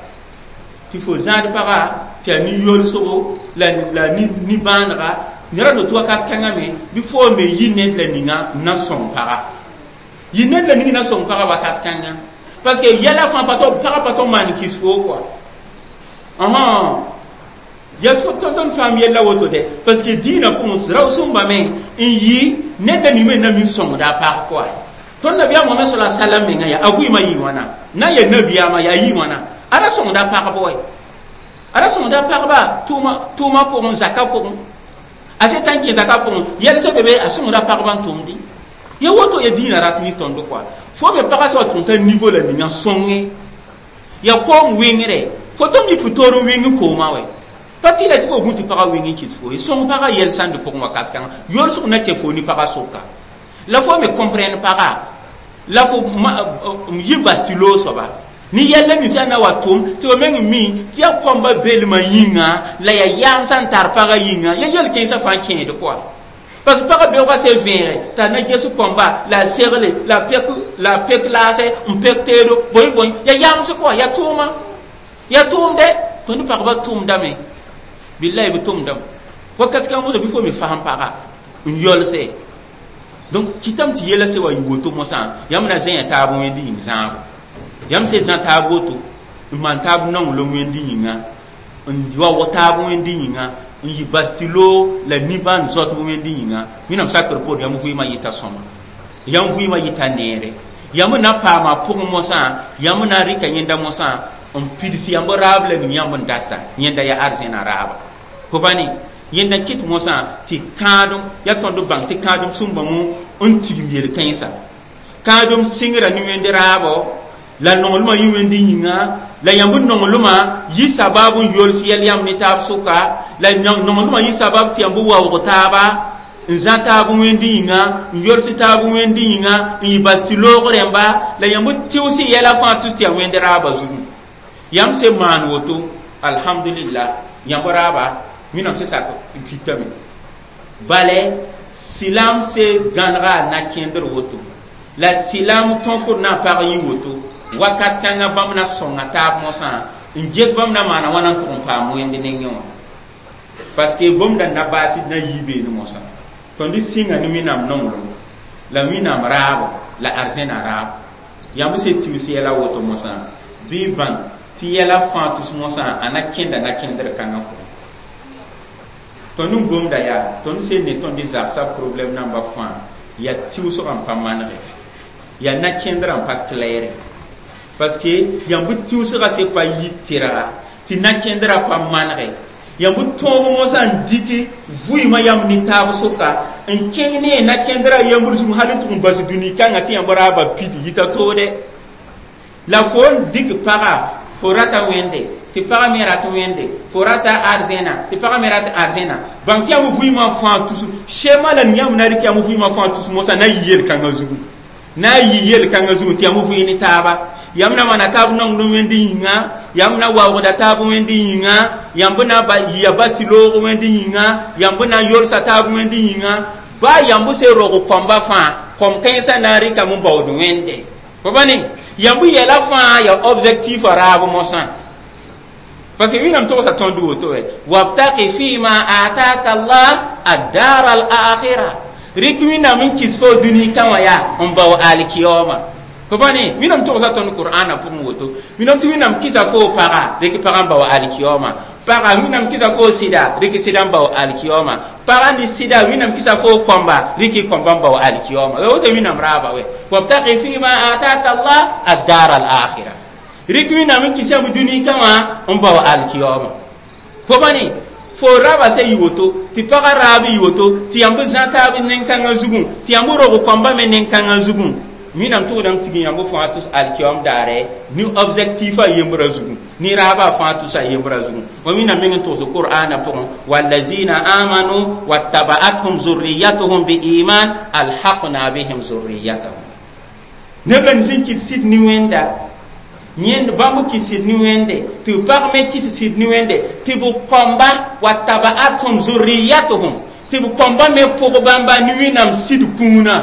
B: tɩ fo zãad pagã tɩ yaa nin-yolsgo la ni-bãanega nera no tɩ wakat kãngã me bɩ fo me yi ned la ninga n na sõng paga yi ned la ning na sõng paga wakat kãngã parce que yɛla fãa pa pagã pa tɩ maan kis fo kɔa ya tõnd faam yella woto dɛ parce que dĩinã pʋgẽ rao-sõmba me n yɩ ned la ning me na min sõngda a pag kɔa tõnd nabiyaam Mohamɛd sala salam menga yaa a vɩɩmã yɩ wãna na n yaa nabiyaamã yaa yɩ wãna a ra sõngda a pagb wɛ a ra sõngda pagba tʋʋmã pʋgẽ zaka pʋgẽ a se tã n kẽ zaka pʋgẽ yɛlsã be be a sõngda pagba n tʋmdɩ ya woto ya dĩinã rat ne tõnd kɔa fo me pagã sã wa tʋg t'a niveau la ninga sõnge ya koom wɩngre fo tõm yik fo toor n wɩng koomã wɛ pa tɩ la tɩ fo gũ tɩ pagã wɩng n kɩs fo ye sõng pagã yɛl sãnd pʋgẽ wakat kãngã yolsg na kẽ fo ne pagã sʋka la fo me comprendre pagã la fo yi bas tɩ loog soaba ne yɛl la ninsã na wa tʋm tɩ b meng mi tɩ yaa kõmba belmã yĩnga la yaa yaam sã n tar pagã yĩnga ya yɛl kẽensã fãa kẽed kɔa parce que pagã beoogã se vẽege t'a na ges kõmba la a segle la pek laase n pek teedo bõe bõe ya yamsg kɔa ya tʋʋma ya tʋʋmdɛ tõnd pagba tʋʋmdame billahi b tʋʋmdame wakat kãng mosã bɩ fo me fasem paga n yolse donc kɩtame tɩ yɛla se wa yɩ woto mosã yãmb na zẽya taab wẽnd yĩng zãabo yãmb se zã taab woto n maan taab nonglem wẽnd yĩnga n wa taab wẽnd yĩnga n yɩ bas tɩ loog la nimbãan zoatb wẽnd yĩnga wẽnnaam sakr poor yãmb vɩɩmã yɩta sõma yãmb vɩɩmã yɩta neere yãmb na paama pʋgẽ mosã yãmb na n rɩka yẽnda mosã n pids yãmb raab la ning yãmb n data yẽnda yaa arzẽna raaba fo ba ne yẽnda kɩt mosã tɩ kãadem yaa tõnd bãng tɩ kãadem sũmbame n tigim yel-kãensã kãadem sɩngra ne wẽnd raabo la nonglmã yɩ wẽnd yĩnga la yãmb nonglmã yɩ sabab n yols yɛl yãmb ne taab sʋka la nonglmã yɩ sabab tɩ yãmb waoog taaba n zã taab wẽnd yĩnga n yols taab wẽnd yĩnga n yɩ bas tɩ loog rẽmba la yãmb tɩʋs yɛla fãa tus tɩ yaa wẽnd raabã zugu yãmb se maan woto alhamdulillah yãmb raaba wẽnnaam se sak n pitame bale silam se gãnega a na-kẽndr woto la silam tõkd na n pag yɩ woto wakat kãngã bãmb na sõnga taab mosã n ges bãmb na maana wãna n tʋg n paam wẽnd nengẽ wã parce que bũmb da na baas na yii beene mosã tõnd sĩnga ne wẽnnaam nonglem la wẽnnaam raabo la arzẽna raabo yãmb se tigs yɛla woto mosã bɩ bãng tɩ yɛla fãa tus mosã a na kẽnda na-kẽndr kãngã pʋgẽ tõnd n gomda yaa tõnd sel ne tõnd zagsã problème namba fãa yaa tɩʋsgã n pa manege yaa na-kẽndrã n pa claire parce que yãmb tɩʋsgã se pa yɩ tɩrga tɩ na-kẽndrã pa manege yãmb tõog mosã n diki vʋɩɩmã yãmb ne taab sʋka n kẽng ne na-kẽndrã yãmbr zug hal n tʋg n bas dũni kãngã tɩ yãmb raaba pid yita toode la fo n dɩk paga fo rata wẽnde tɩ pagã me rat wẽnde fo rata arzẽna tɩ pagã me rat arzẽna bãng tɩ yãmb vɩɩmã fãa tus sema la yãmb na rɩk yãmb vɩɩmã fãa tus mosã na yɩ yel-kãngã zugu na yɩ yel-kãngã zugu tɩ yãmb vɩɩ ne taaba yãmb na maana taab nonglem wẽnd yĩnga yãmb na waoogda taab wẽnd yĩnga yãmb na yɩa bas tɩ loog wẽnd yĩnga yãmb na yolsa taab wẽnd yĩnga baa yãmb se rog kõmba fãa kõm kãensã na n rɩkame n baood wẽnde fo ba ne yãmb yɛla fãa ya objectif a raab mosã parce que wẽnnaam togsa tõnd woto wɛ wabtaqi fima ataka allah addar al akhira rɩk wẽnnaam n kɩs fo dũni kã wã yaa n bao alkiyoma fo pa ne wẽnnaam togsa tõnd qur'ana pʋgẽ woto wẽnnaam tɩ wẽnnaam kɩsa fo paga rɩk pagã n bao alkiyoma paga wẽnnaam kɩsa fo sɩda rɩk sɩda n bao alkiyoma paga ne sɩda wẽnnaam kɩsa fo kõmba rɩk kõmba n bao alkiyoma woto wẽnnaam raaba wɛ wabtaqi fima ataka allah addar al akhira Rɩk Wẽnnaam n kɩs yãmb dũni kã wã n bao alkiyoma. Fo bãne fo raba se yɩ woto tɩ pagã raab yɩ woto tɩ yãmb zã taab nen-kãngã zugẽ tɩ yãmb rog kõmba me nen-kãngã zugẽ Wẽnnaam tʋgdame tig yãmb fãa tʋs alkiyom daare ne objectif a yembrã zugẽ ne raabã fãa tʋs a yembrã zugẽ wa Wẽnnaam meng n togs Qur'ana pʋgẽ wallazina amanu wattaba'athum zurriyatuhum biiman alhaqna bihim zurriyatahum neb la nins n kɩt sɩd ne Wẽnda yẽnd bãmb kɩt sɩd ne Wẽnde tɩ pag me kɩs sɩd ne Wẽnde tɩ b kõmba wattaba'athum zurriyatuhum tɩ b kõmba me pʋg bãmba ne Wẽnnaam sɩd kũunã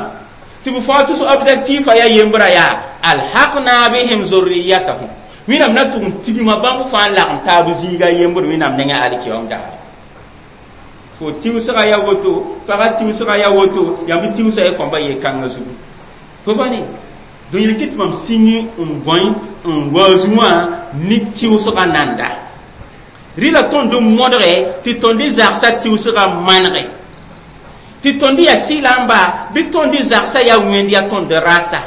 B: tɩ b fãa tʋs objectif a yaa yembra yaa alhaqna bihim zurriyatahum Wẽnnaam na tʋg n tigma bãmb fãa lagem taab zĩiga yembr Wẽnnaam nengẽ alkiyom daar fo tɩʋsga yaa woto pagã tɩʋsga yaa woto yãmb tɩʋsa y kõmba yel-kãngã zugu fo bãne donc yel kɩ tɩ mam sĩng n bõe n waoozẽ wã ne tɩʋsga nanda rɩla tõnd n modge tɩ tõnd zagsã tɩʋsga manege tɩ tõnd yaa sɩlamba bɩ tõnd zagsã yaa wẽnd yaa tõnd rata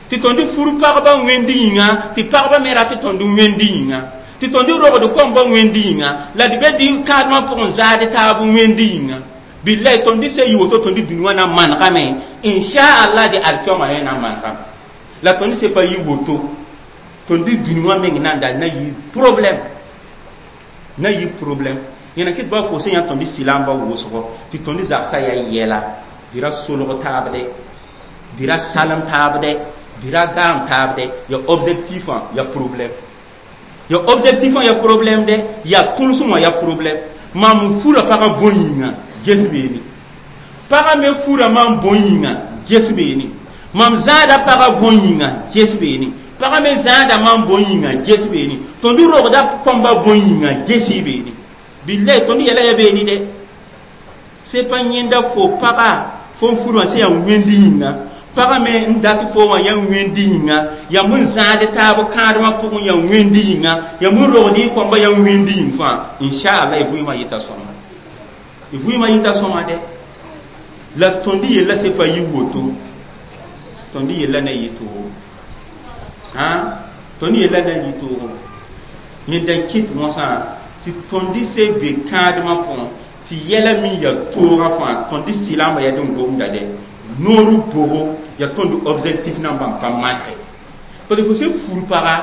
B: tɩ tõnd fur pagba wẽnd yĩnga tɩ pagba me rat tõnd wẽnd yĩnga tɩ tõnd rogd kõmba wẽnd yĩnga la d be dɩ kãadmã pʋgẽ zaad taab wẽnd yĩnga billahi tõnd se yɩ woto tõnd dũni wã na manegame inshaallah dɩ alkioma yẽ na manegame la tõnd se pa yɩ woto tõnd dũni wã meng nanda na yɩ problème na yɩ problème yẽna kɩ tɩ ba fo sẽn yã tõnd sɩlamba wʋsgo tɩ tõnd zagsã yaa yɛla dɩ ra solg taabdɛ dɩ ra salem taabdɛ dɩ ra gaam taabdɛ ya objectif wã ya problème ya objectif wã ya problème dɛ ya tʋlsem wã ya problème mam fura pagã bõn yĩnga ges beene pagã me fura mam bõn yĩnga ges beene mam zãada pagã bõn yĩnga ges beene pagã me zãada mam bõn yĩnga ges beene tõnd rogda kõmba bõn yĩnga ges y beene billahi tõnd yɛla ya beene dɛ se pa yẽnda fo paga fo n fur wã sẽn yaa wẽnd yĩnga pagã me n dat fo wã yaa wẽnd yĩnga yãmb n zãad taab kãadmã pʋgẽ yaa wẽnd yĩnga yãmb n rogd y kõmba yaa wẽnd yĩng fãa inchallah y vɩɩmã yɩta sõma y vɩɩmã yɩta sõma dɛ la tõnd yella se pa yɩ woto tõnd yella na yɩ toogo tõnd yella na yɩ toogo yẽnda n kɩt wõsã tɩ tõnd se be kãadmã pʋgẽ tɩ yɛla min ya toogã fãa tõnd sɩlamba yaa dẽn gomda dɛ noor bogo ya tõnd objectif nambã n pa manke parce que fo sẽn fur paga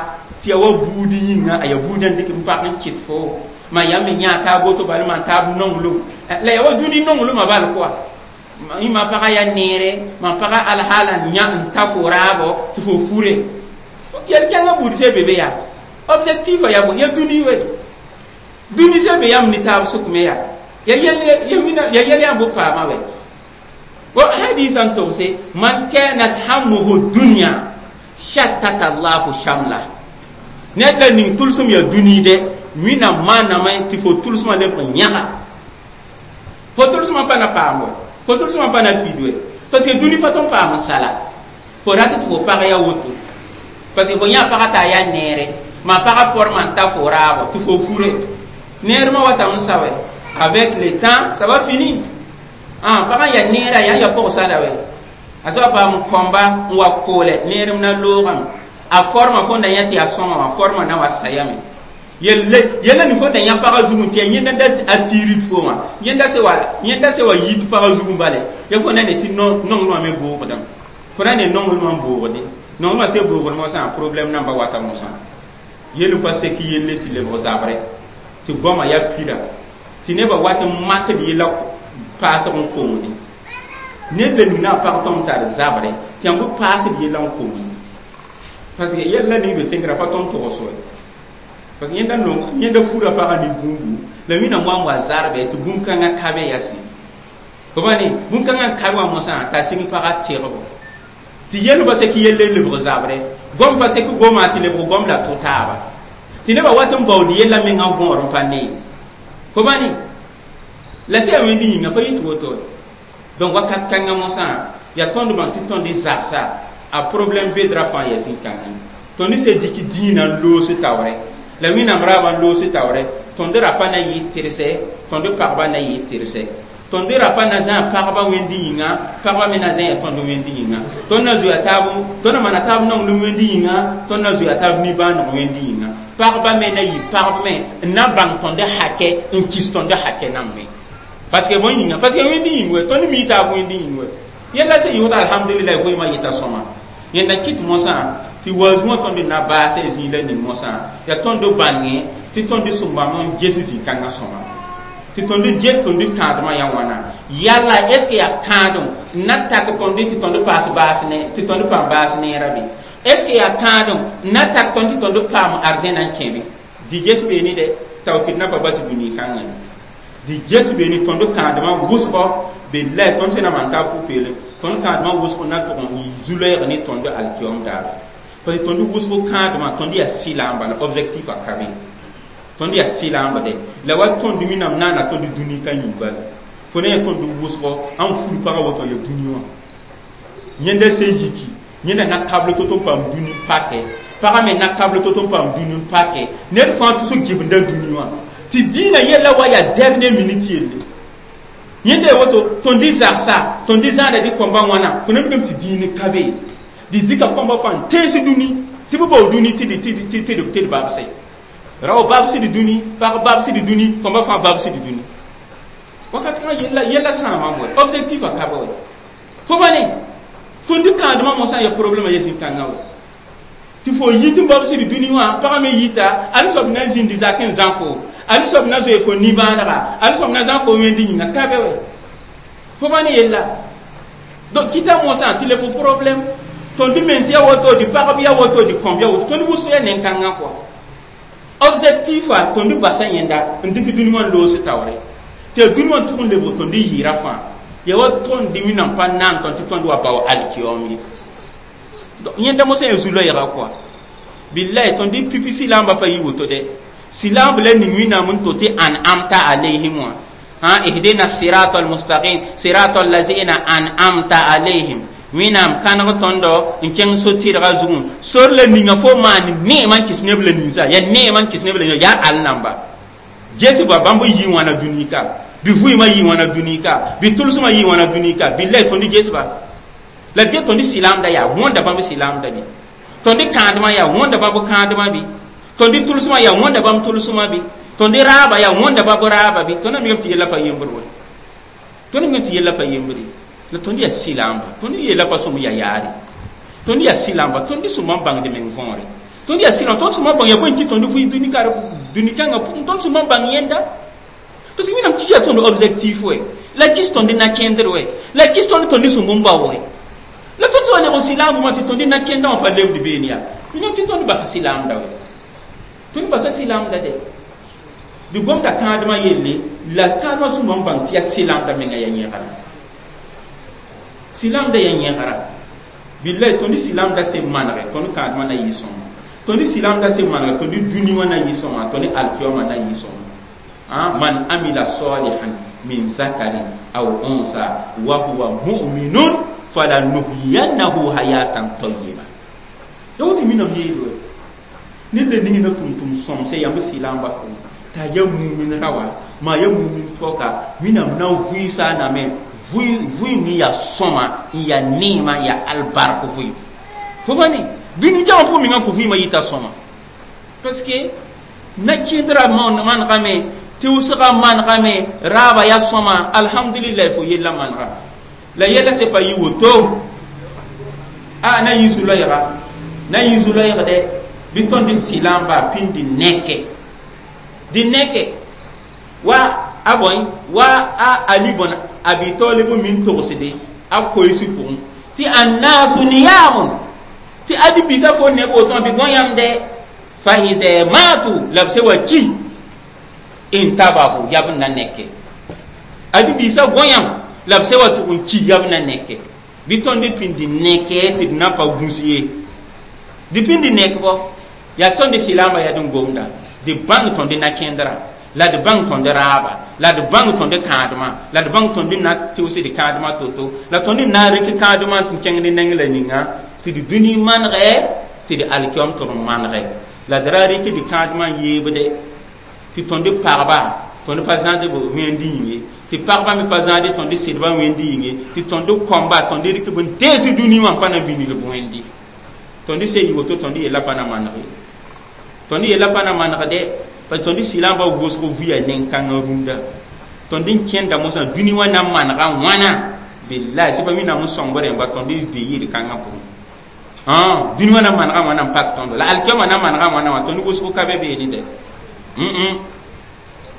B: tɩ ya wa buud yĩnga a ya buudã dɩk n pag n kɩs fo ma yaa me yã taab woto bal maan taab nonglem la ya wa dũni nonglmã bal kɔa ma pagã yaa neere ma pagã alhaala n yã n ta fo raabo tɩ fo fure yɛl-kẽngã buud se be be yaa objectif a yaa bõe ya dũni we dũni se be yãmb ne taab sʋk me yaa ya yɛl yãmb b paama wɛ wa hadis n togse man kanat hammuhu dunya shattata allahu shamla ned la ning tʋlsem yaa dũni dɛ Wẽnnaam maaname tɩ fo tʋlsmã leb n yãga fo tʋlsmã pa na paam wɛ fo tʋlsmã pa na fid wɛ parce que dũni pa tõn paam n sala fo rat tɩ fo pag yaa woto parce que fo yã pagã t'a yaa neere ma pagã forma n ta fo raabo tɩ fo fure neermã watame n sa wɛ avec le temps ça va finir ah pagã yaa neera yaa ya pʋgsada wɛ a soa paam kõmba n wa koolɛ neerem na loogame a forma fõnda yã tɩ yaa sõma wã forma na wa sayame yelle yella ni fõnda yã pagã zugẽ tɩ yaa yẽnda da a tiirid fo wã yẽnda se wa yit pagã zugẽ bale ya fo na ne tɩ nonglmã me boogdame fo na ne nonglmã n boogde nonglmã se boogd mosã problème namba wata mosã yel n pa sek yelle tɩ lebg zabre tɩ goamã yaa pira tɩ nebã wat n makd yella paasg n kongde ned la ning na n pag tõmb tar zabre tɩ yãmb paasd yella n kongde parce que yella ning be tẽngrã pa tõnd togs wɛ parce que yẽnda nong yẽnda fura pagã ne bũmbu la Wẽnnaam wa n wa zarbe tɩ bũn-kãngã ka be yaa sɩ fo bãne bũn-kãngã n kabe wã mosã t'a sɩng pagã tegbo tɩ yell pa sek yelle lebg zabre gom pa sek goma tɩ lebg gom la tʋ taaba tɩ nebã wat n baood yella mengã võor n pa nee fo bãne la sẽn yaa wẽnd yĩnga pa yɩ tɩ woto donc wakat kãngã mosã yaa tõnd bãng tɩ tõnd zagsa a problème bedra fãa yaa zĩ-kãngã tõnd se dɩk dĩinã n loos taoorɛ la Wẽnnaam raabã n loos taoorɛ tõnd rapa na yɩ tɩrse tõnd pagba na yɩ tɩrse Tõnd rapa na zã pagba wẽnd yĩnga, pagba me na zẽa tõnd wẽnd yĩnga. Tõnd na zoea taab, tõnd na maana taab nonglem wẽnd yĩnga, tõnd na zoea taab nimbãaneg wẽnd yĩnga. Pagba me na yɩ pagb me n na bãng tõnd hakɛ n kis tõnd hakɛ nan me, parce que bõe yĩnga, parce que wẽnd yĩng we tõnd mi taab wẽnd yĩng we yella sẽn yʋgd. Alhamdulillah, vɩɩmã yɩta sõma. Yẽnda kɩt mosã tɩ waoog wã tõnd na baase zĩig la ning mosã yaa tõnd bãnge tɩ tõnd sẽn bãmb n ges zĩ-kãngã sõma, tɩ tõnd ges tõnd kãadmã yaa wãna. Yalla, est ce que yaa kãadem n na tak tõnd tɩ tõnd paas baas ne, tɩ tõnd paam baas neera bɩ? Est ce que yaa kãadem n na tak tõnd tɩ tõnd paam arzẽna n kẽ bɩ? Dɩ ges beene dɛ tao tɩ d na pa bas dũni kãngã. Dɩ ges beene tõnd kãadmã wʋsgɔ billahi tõnd sẽn na maan taab pʋ-peelem. Tõnd kãadmã wʋsg na tʋg n yɩ zu-loɛɛg ne tõnd alkiom daare, parce que tõnd wʋsg kãadmã, tõnd yaa sɩlaam bala, objectif a ka be. Tõnd yaa sɩlaamba dɛ la wa tõnd minam naana tõnd dũni ka yĩng bala. Fo ne yaa tõnd wʋsgɔ ãn fur pagã woto ya dũni wã yẽnda sẽn yiki, yẽnda na kabl to-to n paam dũni n pakɛ, pagã me na kabl to-to n paam dũni n pakɛ. Ned fãa tusg gibnda dũni wã tɩ dĩinã yella wa yaa dernier minute yelle. Yẽnda ya woto tõnd d zagsa, tõnd d zãada dɩ kõmba wãna. Fo na mikame tɩ dĩin ka be, dɩ dɩka kõmba fãa n tees dũni tɩ b bao dũni tɩ d babse rao babsd dũni, pag babsd dũni, kõmba fãa babsd dũni. Wakat kãngã yella yella sãamam wɛ, objectif a ka be wɛ. Fo ba ne tõnd kãadmã mosã ya problème ya zĩ-kãngã wɛ, tɩ fo yit n babsd dũni wã, pagã me yita al soab na zĩnd zak n zã fo, al soab na zoe fo nimbãanega, al soab na zã fo wẽnd yĩnga ka be wɛ. Fo ba ne yella. Donc kɩta mosã tɩ le fo problème tõnd mens ya woto, dɩ pagb ya woto, dɩ kõmb ya woto, tõnd wʋsg ya nen-kãngã kɔa. Objectif a tõnd basa yẽnda n dɩk dũni wã n loos taoore tɩ ya dũni wã tʋg n lebg tõnd yɩɩra fãa ya wa tõnd wẽnnaam pa naan tõnd tɩ tõnd wa bao alkiyoom ye. Yẽnda mosã ya zu-loɛɛga kɔa. Billahi, tõnd pipi silaamba pa yɩ woto dɛ. Silaamb la ning wẽnnaam n to tɩ an'amta alayhim wã ha, ihdina sirata almustaqim, sirata allazina an'amta alayhim. Wẽnnaam kãneg tõndo n kẽng so-tɩrgã zugẽ, sor la ninga fo maan neemã n kɩs neb la ninsa yaa neemã n kɩs neb la ninsa yaa al namba ges ba bãmb yɩ wãna dũni ka, bɩ vɩɩmã yɩ wãna dũni ka, bɩ tʋlsmã yɩ wãna dũni ka. Billahi, tõnd ges ba la ge tõnd silaamda yaa wõnda bãmb silaamda bɩ, tõnd kãadmã yaa wõnda bãmb kãadmã bɩ, tõnd tʋlsmã yaa wõnda bãmb tʋlsmã bɩ, tõnd raaba yaa wõnda bãmb raaba bɩ. Tõnd mikame tɩ yella pa yembr wɛ, tõnd mikame tɩ yella pa yembre. La tõnd yaa silaamba, tõnd yella pa sõm ya yaare. Tõnd yaa silaamba, tõnd sõma n bãngd meng võore. Tõnd yaa silaamba, tõnd sõma bãng yaa bõe n kɩ tõnd vɩ dũni kar dũni kãngã pʋgẽ, tõnd sõma bãng yẽnda, parce que wẽnnaam kis yaa tõnd objectif wɛ, la kis tõnd na-kẽndr wɛ, la kis tõnd sõmb n bao wɛ. La tõnd sã wa lebg silaambã wã tɩ tõnd na-kẽndã wã pa lebd beene yaa wẽnnaam tɩ tõnd basa silaamda wɛ, tõnd basa silaamda dɛ. Dɩ gomda kãadmã yelle la kãadmã sõma n bãng tɩ yaa silaamda menga yaa yẽgara, silaamda yaa yẽgara. Billahi, tõnd silaamda sẽn manege, tõnd kãadmã na yɩ sõma. Tõnd silaamda sẽn manege, tõnd dũni wã na yɩ sõma, tõnd alkiyoomã na yɩ sõma. Man amila salihan min zakarin aw unsa wa huwa mu'minun falanuhyiyannahu hayatan tayyiba. Ya woto minam yeelwe ned la ning na tʋm-tʋm sõmse yãmb silaamba pʋgẽ t'a ya mumin ra wa maa ya mumin pɔka, wẽnnaam na n vɩɩsa a name vɩɩm n yaa sõma n yaa neema n yaa albark vɩɩm. Fo pa ne dũni jama pʋgẽ mengã fo vɩɩmã yɩta sõma, parce que na-kẽedrã manegame, tɩʋsgã manegame, raaba yaa sõma. Alhamdulillah, fo yella manega la yɛla se pa yɩ woto a na yɩ zu-loɛɛga, na yɩ zu-loɛɛg dɛ. Bɩ tõnd sɩlaamba pĩnd nɛkɛ, dɩ nɛkɛ wa a bõe wa a Ali bõn Abi Talib min togsde a koees pʋgẽ tɩ annasu niyamun, tɩ adi bisa fo neb woto bɩ gõ yãmb dɛ fa iza matu la b se wa ki intabahu yab n na nɛkɛ. Adi bisa gõ yãmb la b se wa tʋg n ki yab na nɛkɛ. Bɩ tõnd pĩnd nɛkɛ tɩ d na pa gũs ye, dɩ pĩnd nɛkbɔ yaa tõnd silaamba yaa d gomda, dɩ bãng tõnd na-kẽndrã la d bãng tõnd raaba la d bãng tõnd kãadmã la d bãng tõnd na tɩʋsd kãadmã to-to la tõnd na n rɩk kãadmã tɩ kẽng ne neng la ninga tɩ d dũni manegɛ tɩ d alkiom tʋg n manegɛ la d ra rɩk d kãadmã n yeebde tɩ tõnd pagba tõnd pa zãad b wẽnd yĩng ye. Tɩ pagba me pa zãade tõnd sɩdbã wẽnd yĩnge tɩ tõnd kõmba tõnd rɩk b n dees dũni wã n pa na binig b wẽndi tõnd se yɩ woto tõnd yella pa na maneg ye tõnd yella pa na manegde pa tõnd sɩlamba wʋsg vʋya nen-kãngã rũndã tõnd n kẽnda mosã dũni wã na manega wãna billahi sɩ pa wĩnnaam n sõng b rẽmba tõnd be yɩɩd kãngã pʋgẽ dũni wã na manega wãna n pak tõndo la alkiama na manega wãna wã tõnd wʋsg ka be beene dɛ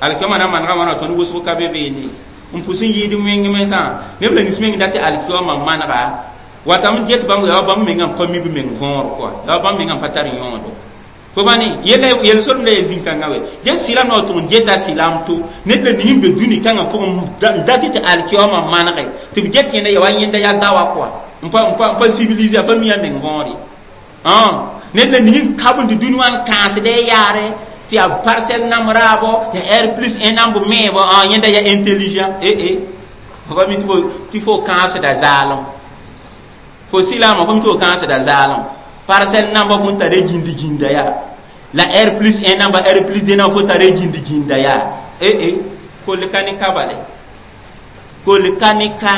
B: alkiama na manega wãna tõnd wʋsg ka be beene n pʋs n yɩɩd wẽng mensã neb la nins meng dat tɩ alkiama manega watame get bãmb yaa bãmb menga n pa mi b meng võor kɔa yaa bãmb menga n pa tar yõodo fo bãne yella yel-solem la ya zĩ-kãngã wɛ get sɩlam na wa tʋg n geta sɩlam to ned la ning n be dũni kãngã pʋgẽ n dat tɩ alkiama manege tɩ b get kẽnda ya wa yẽnda yaa dawa kɔa n pa civilise a pa mi a meng võor ye ned la ning n kabend dũni wã n kãasd a yaare tɩ yaa parcelle nam raabo ya R plus 1 namb meebo yẽnda ya intelligent eh fo pa mi tɩ fo kãasda zaalem fo sɩlaamã fo mi tɩ fo kãasda zaalem parcelle namba fo n tara gĩndi gĩnda yaa la R plus 1 namba R plus 2 namba fo tara gĩndi gĩnda yaa eh kol ka ne ka bale kol ka ne ka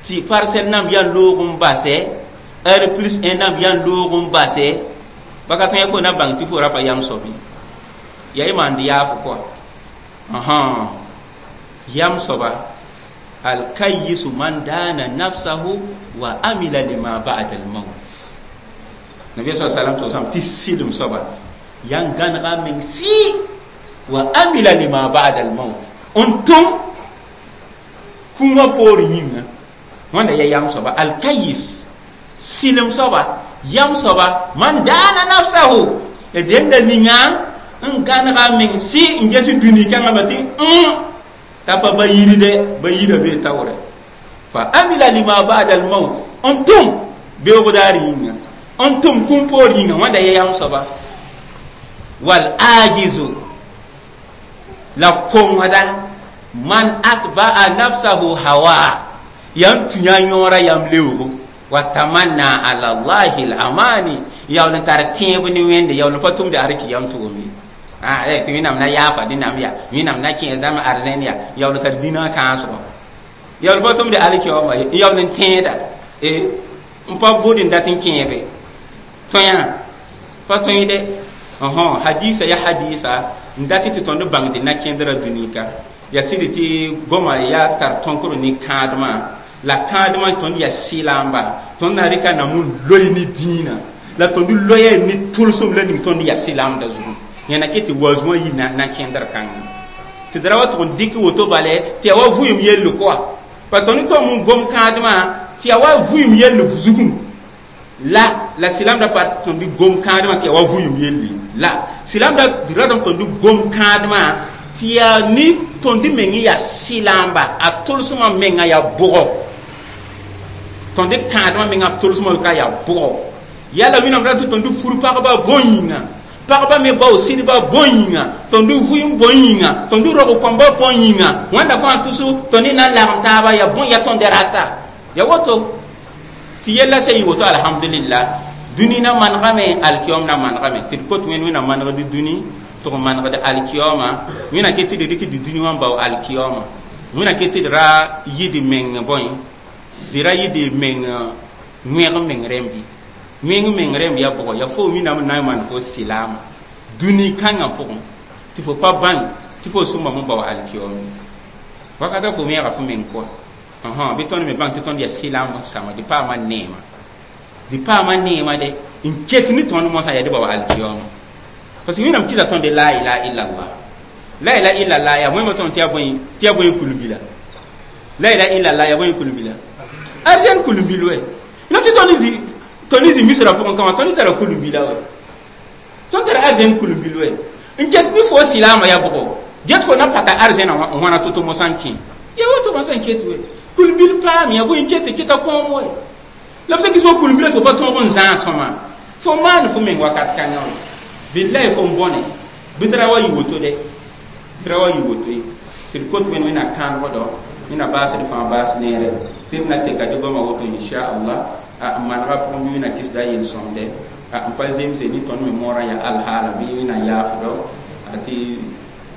B: tɩ parcelle namb yaa loog n basɛ R plus 1 namb yaa loog n basɛ baka tõe fo na bãng tɩ fo ra pa yam soab ye yaa y maand yaafo kɔa yam soaba alkayisu man dana nafsahu wa amila lima ba'da al-maut nabi sallallahu alaihi wasallam tɩ sɩlem soaba yan gãnega meng sɩ wa amila lima ba'da al-maut n tʋm kũumã poor yĩnga wãnda ya yam soaba alkayis sɩlem soaba yam soaba man dana nafsahu ya denda ninga n gãnega meng sɩ n ges dũni kãngã ma tɩ t'a pa ba yirde ba yira be taoore fa amila lima ba'da al-maut n tʋm beoog daar yĩnga n tʋm kũum poor yĩnga wãnda ya yam soaba wal ajizu la kongda man atba'a nafsahu hawa yam tũ yã yõora yam leoogo wa tamanna ala allahi al-amani yaool n tar tẽeb ne wẽnde yaool n pa tʋmde arki yam tʋgem ye tɩ wẽnnaam na yaafa dẽnnaam yaa wẽnnaam na kẽesdame arzẽn yaa yaool n tar dĩnã kãasgɔ yaool pa tʋmde alkiyaooma ye yaool n tẽeda n pa bʋd n dat n kẽebe tõyã pa tõe de hadisa ya hadisa n dat tɩ tõnd bãngd na kẽndrã dũnika ya sɩd tɩ goma yaa tar tõnkr ne kãadmã la kãadmã tõnd ya sɩlamba tõnd na rɩka nam n loe ne dĩinã la tõnd loya ne tʋlsem la ning tõnd ya sɩlamda zugu yãna ket tɩ waoosmã yi na kẽndr kãngã tɩ d ra wa tʋg n dɩk woto bale tɩ ya wa vʋɩɩm yell kɔa pa tõnd tom n gom kãadmã tɩ ya wa vʋɩɩm yell zugum la la sɩlamda pa tõnd gom kãadmã tɩ ya wa vʋɩɩm yelle la sɩlamda ratame tõnd gom kãadmã tɩ yaa ne tõnd meng yaa sɩlamba a tʋlsmã menga yaa bʋgɔ tõnd kãadmã menga tʋlsmã ka yaa bʋgɔ yala wẽnnaam ra tɩ tõnd fur pagba bõn yĩnga pagba me bao sɩdba bõn yĩnga tõnd vʋɩɩm bõn yĩnga tõnd rog kõmba bõn yĩnga wãnda fãa tʋso tõnd na n lagem taaba yaa bõn ya tõnd rata ya woto tɩ yella sã yɩ woto alhamdulillah dũni na manegame alkiyaoom na manegame tɩ d kot wẽnd wẽnnaam manegd dũni tɩ g manegd alkiyaooma wẽna ket tɩ d rɩk d dũni wã n bao alkiyaooma wẽna ket tɩ d ra yɩ d meng bõe d ra yɩ d meng wẽg meng rẽmbi wẽng meng rẽmb ya bʋgɔ ya fo wĩnnaam n na n maan fo sɩlaama dũni kãngã pʋgẽ tɩ fo pa bãng tɩ fo sõmbame n bao alkiyaoom wakata fo wẽega fo meng kɔa bɩ tõnd me bãng tɩ tõnd yaa sɩlamb n sãma d paama neema d paama neema de n ket ne tõnd mosã yaa d bao alkiyaooma parce que wẽnnaam kɩsa tõnd la ilaha illallah la ilaha illallah yaa wẽnnaam tõnd tɩ yaa bõe kulbila la ilaha illallah yaa bõe kulbila arzɛn kulbil wɛ la tɩ tõnd zĩ misrã pʋgẽ kãwã tõnd tara kulbila wɛ tõnd tara arzɛn kulbil wɛ n ket bɩ fo sɩlaamã yaa bʋgɔ get fo na paka arzɛnã n wãna to-to mosã n kẽ ya woto mosã n ket wɛ kulbil paam ya bõe n ket keta kõom wɛ la b sẽn kɩs fo kulbila tɩ fo pa tõog n zãag sõma fo maan fo meng wakat kãngã wɛ billahi fo n bõne bɩ tɩ ra wa yɩ woto dɛ tɩ ra wa yɩ woto ye tɩ d kot wẽnd wẽnna kãanegdɔ wẽnna baasd fãa baas neere tɩ d na teka dɩ goama woto inchallah n manega pʋgẽ bɩ wẽnna kɩsda yel-sõmde n pa zemse ne tõnd me moorã yaa alhaala bɩ wẽnna yaafdɔ tɩ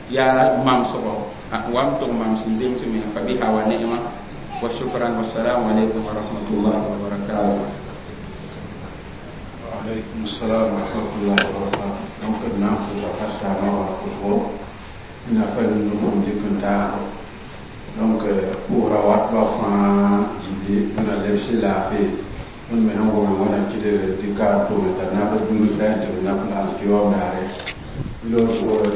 B: Yaa mamsgo wa m tʋg mam sẽn zems me fa biha wa ni'ma wa shukran. Wassalamu alaikum wa rahmatullahi wa barakatuh.
A: Alaikum salam wa rahmatullahi wa barakatuh. Donc na pʋʋsa ka saama wa pʋsgo na pa nugum dɩk n taago. Donc pʋʋsra wat ba fãa gilli na lebs laafee. Tõnd me sẽn wʋm wẽna kɩdg tɩ kaar tʋʋme t'a nab dũni ka tɩ b nab la alkiyoom daare. Loor pʋʋsra.